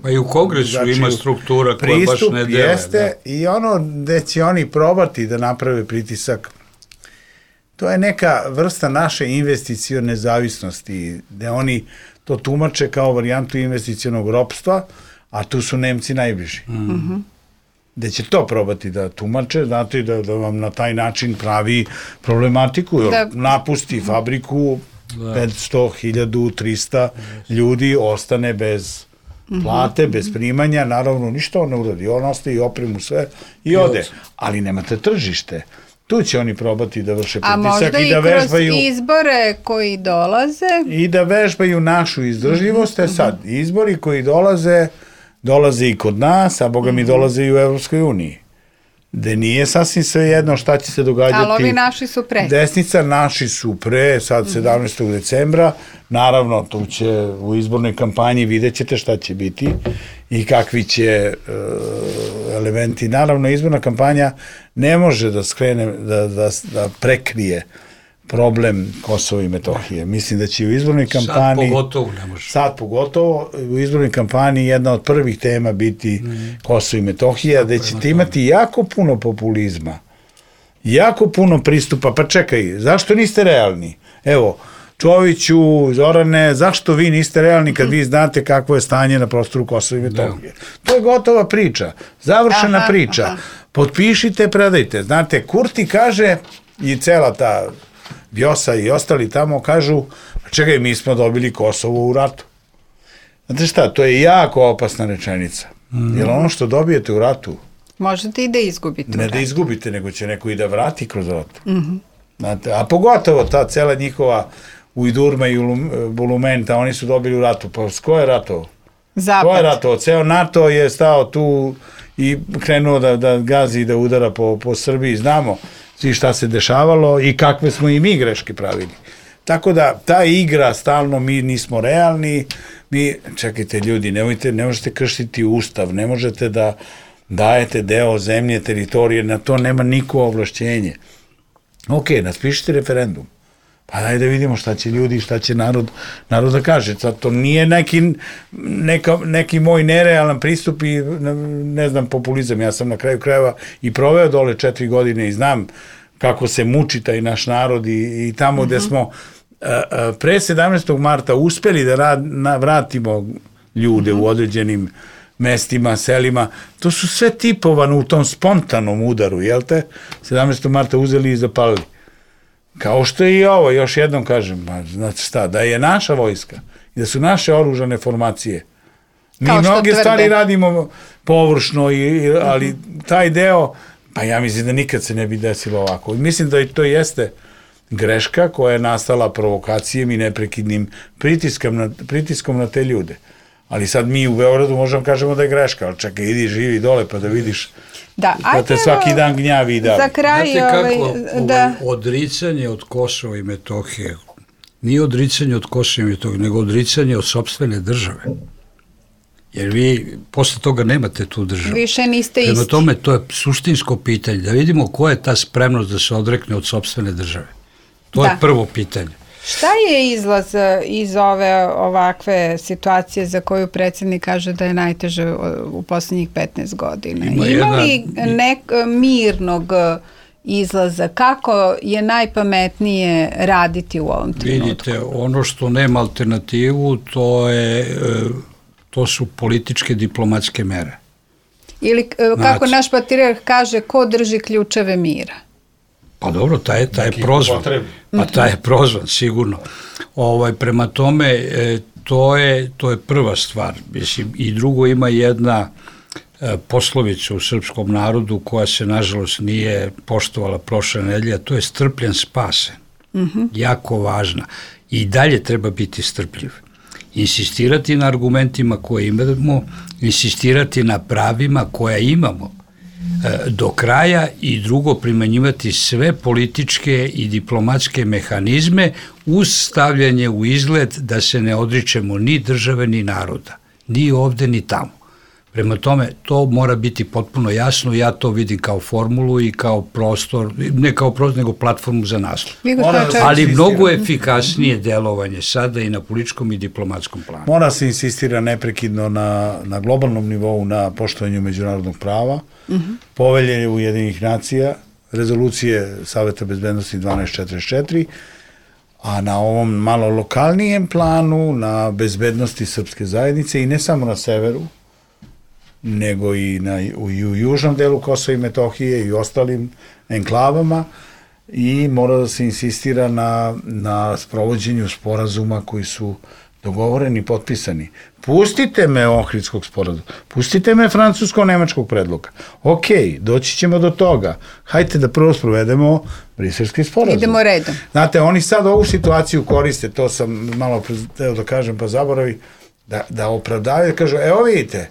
Pa i u Kongresu ima struktura koja baš ne dele. Jeste, i ono gde će oni probati da naprave pritisak, to je neka vrsta naše investicione zavisnosti, gde oni to tumače kao varijantu investicionog ropstva, a tu su Nemci najbliži. Gde će to probati da tumače, znate, da vam na taj način pravi problematiku, napusti fabriku, 500, 1000, 300 ljudi ostane bez plate, bez primanja, naravno ništa on ne uradi, on ostaje i opremu sve i ode, ali nemate tržište. Tu će oni probati da vrše pritisak i da vežbaju... A možda i kroz izbore koji dolaze? I da vežbaju našu izdržljivost, sad, izbori koji dolaze i kod nas, a boga mi dolaze i u Evropskoj uniji. Gde nije sasvim sve jedno šta će se događati. Ali ovi naši su pre. Desnica, naši su pre, sad 17. decembra. Naravno, tu će u izbornoj kampanji vidjet ćete šta će biti i kakvi će elementi. Naravno, izborna kampanja ne može da skrene, da prekrije problem Kosova i Metohije. Mislim da će u izbornoj kampanji... Sad pogotovo ne može. Sad pogotovo, u izbornoj kampanji jedna od prvih tema biti Kosovo i Metohija, da ćete imati jako puno populizma, jako puno pristupa. Pa čekaj, zašto niste realni? Evo, Čoviću, Zorane, zašto vi niste realni kad vi znate kakvo je stanje na prostoru Kosova i Metohije? To je gotova priča, završena priča. Potpišite, predajte. Znate, Kurti kaže i cela ta Vjosa i ostali tamo kažu, čekaj, mi smo dobili Kosovo u ratu. Znate šta, to je jako opasna rečenica. Jer ono što dobijete u ratu... Možete i da izgubite. Ne da izgubite, nego će neko i da vrati kroz rat. Znate, a pogotovo ta cela njihova Ujdurma i Bulumenta, oni su dobili u ratu. Pa ko je ratovo? Zapad. Ko je ratovo? Ceo NATO je stao tu i krenuo da gazi i da udara po Srbiji. Znamo svi šta se dešavalo i kakve smo i mi greške pravili. Tako da, ta igra, stalno mi nismo realni, čekajte ljudi, ne možete kršiti ustav, ne možete da dajete deo zemlje, teritorije, na to nema niko ovlašćenje. Ok, naspišite referendum, pa daj da vidimo šta će ljudi, šta će narod da kaže. Sad, to nije neki moj nerealan pristup i, ne znam, populizam. Ja sam na kraju krajeva i proveo dole 4 godine i znam kako se muči taj naš narod i tamo gde smo pre 17. marta uspeli da vratimo ljude u određenim mestima, selima. To su sve tipovano u tom spontanom udaru, jel te? 17. marta uzeli i zapalili. Kao što je i ovo, još jednom kažem, znači šta, da je naša vojska i da su naše oružane formacije. Mi mnoge stvari radimo površno, ali taj deo, pa ja mislim da nikad se ne bi desilo ovako. Mislim da to jeste greška koja je nastala provokacijom i neprekidnim pritiskom na te ljude. Ali sad mi u Beogradu možemo kažemo da je greška, ali čekaj, idi živi dole pa da vidiš da te svaki dan gnjavi i da. Za kraj, znate kako odricanje od Kosova i Metohije, nije odricanje od Kosova i Metohije, nego odricanje od sopstvene države. Jer vi posle toga nemate tu državu. Više niste isti. Prema tome, to je suštinsko pitanje, da vidimo ko je ta spremnost da se odrekne od sopstvene države. To je prvo pitanje. Šta je izlaz iz ove ovakve situacije za koju predsjednik kaže da je najteže u poslednjih 15 godina? Ima li mirnog izlaza? Kako je najpametnije raditi u ovom trenutku? Vidite, ono što nema alternativu, to su političke diplomatske mere. Ili kako naš patrijarh kaže, ko drži ključeve mira? Pa dobro, taj je prozvan. Pa taj je prozvan, sigurno. Prema tome, to je prva stvar. Mislim, i drugo, ima jedna poslovica u srpskom narodu koja se, nažalost, nije poštovala prošle nedelje, a to je strpljen spasen. Jako važna. I dalje treba biti strpljiv. Insistirati na argumentima koje imamo, insistirati na pravima koja imamo do kraja i drugo primenjivati sve političke i diplomatske mehanizme uz stavljanje u izgled da se ne odričemo ni države ni naroda, ni ovde ni tamo. Prema tome, to mora biti potpuno jasno, ja to vidim kao formulu i kao prostor, ne kao prostor, nego platformu za nastup. Ali mnogo efikasnije delovanje sada i na političkom i diplomatskom planu. Mora se insistira neprekidno na globalnom nivou na poštovanju međunarodnog prava, povelje Ujedinjenih nacija, rezolucije Saveta bezbednosti 1244, a na ovom malo lokalnijem planu, na bezbednosti srpske zajednice i ne samo na severu, nego i u južnom delu Kosova i Metohije i ostalim enklavama i mora da se insistira na sprovođenju sporazuma koji su dogovoreni, potpisani. Pustite me Ohridskog sporazuma, pustite me francusko-nemačkog predloga. Ok, doći ćemo do toga. Hajde da prvo sprovedemo Briselski sporazum. Idemo redom. Znate, oni sad ovu situaciju koriste, to sam malo teo da kažem, pa zaboravi, da opravdavaju, kažu, evo vidite,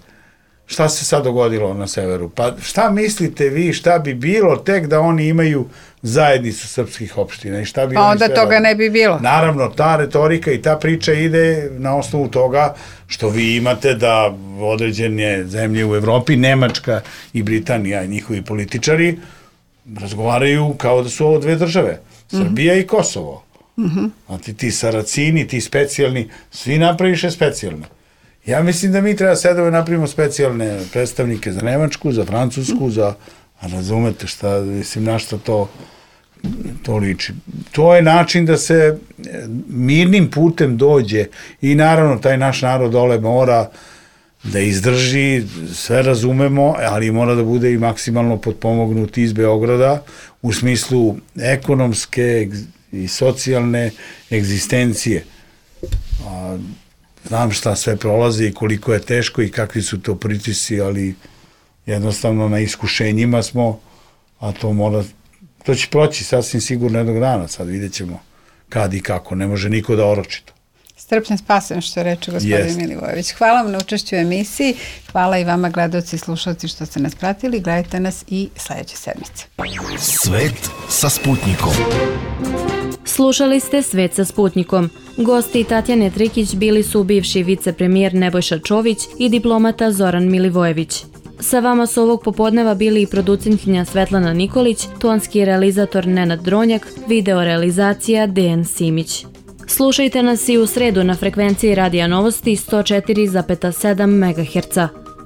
šta se sad dogodilo na severu? Pa šta mislite vi, šta bi bilo tek da oni imaju zajednicu srpskih opština i šta bi pa onda toga ne bi bilo. Naravno, ta retorika i ta priča ide na osnovu toga što vi imate da određene zemlje u Evropi, Nemačka i Britanija i njihovi političari razgovaraju kao da su ovo dve države, Srbija i Kosovo. Znate, ti Saracini, ti specijalni, svi napraviše specijalne. Ja mislim da mi treba sedemo i napravimo specijalne predstavnike za Nemačku, za Francusku, za, razumete šta, mislim, na šta to liči. To je način da se mirnim putem dođe i naravno taj naš narod dole mora da izdrži, sve razumemo, ali mora da bude i maksimalno potpomognut iz Beograda u smislu ekonomske i socijalne egzistencije. Znam šta sve prolazi i koliko je teško i kakvi su to pritisci, ali jednostavno na iskušenjima smo, a to će proći sasvim sigurno jednog dana, sad vidjet ćemo kad i kako, ne može niko da oroči to. Strpljen spasen, što reče gospodin Milivojević. Hvala vam na učešću u emisiji, hvala i vama gledalci i slušalci što ste nas pratili, gledajte nas i sledeće sedmice. Svet sa Sputnikom. Slušali ste Svet sa Sputnikom. Gosti Tatjane Trikić bili su bivši vicepremijer Nebojša Čović i diplomata Zoran Milivojević. Sa vama su ovog popodneva bili i producentkinja Svetlana Nikolić, tonski realizator Nenad Dronjak, video realizacija Dejan Simić. Slušajte nas i u sredu na frekvenciji Radija Novosti 104,7 MHz.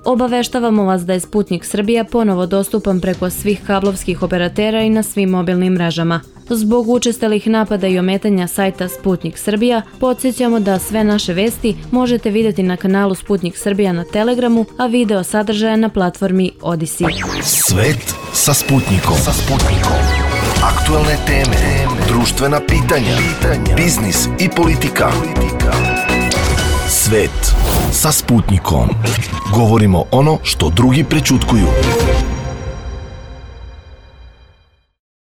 Obaveštavamo vas da je Sputnik Srbija ponovo dostupan preko svih kablovskih operatera i na svim mobilnim mrežama. Zbog učestalih napada i ometanja sajta Sputnik Srbija, podsjećamo da sve naše vesti možete vidjeti na kanalu Sputnik Srbija na Telegramu, a video sadržaja na platformi Odisi. Svet sa Sputnikom. Aktualne teme, društvena pitanja, biznis i politika. Svet sa Sputnikom. Govorimo ono što drugi prećutkuju.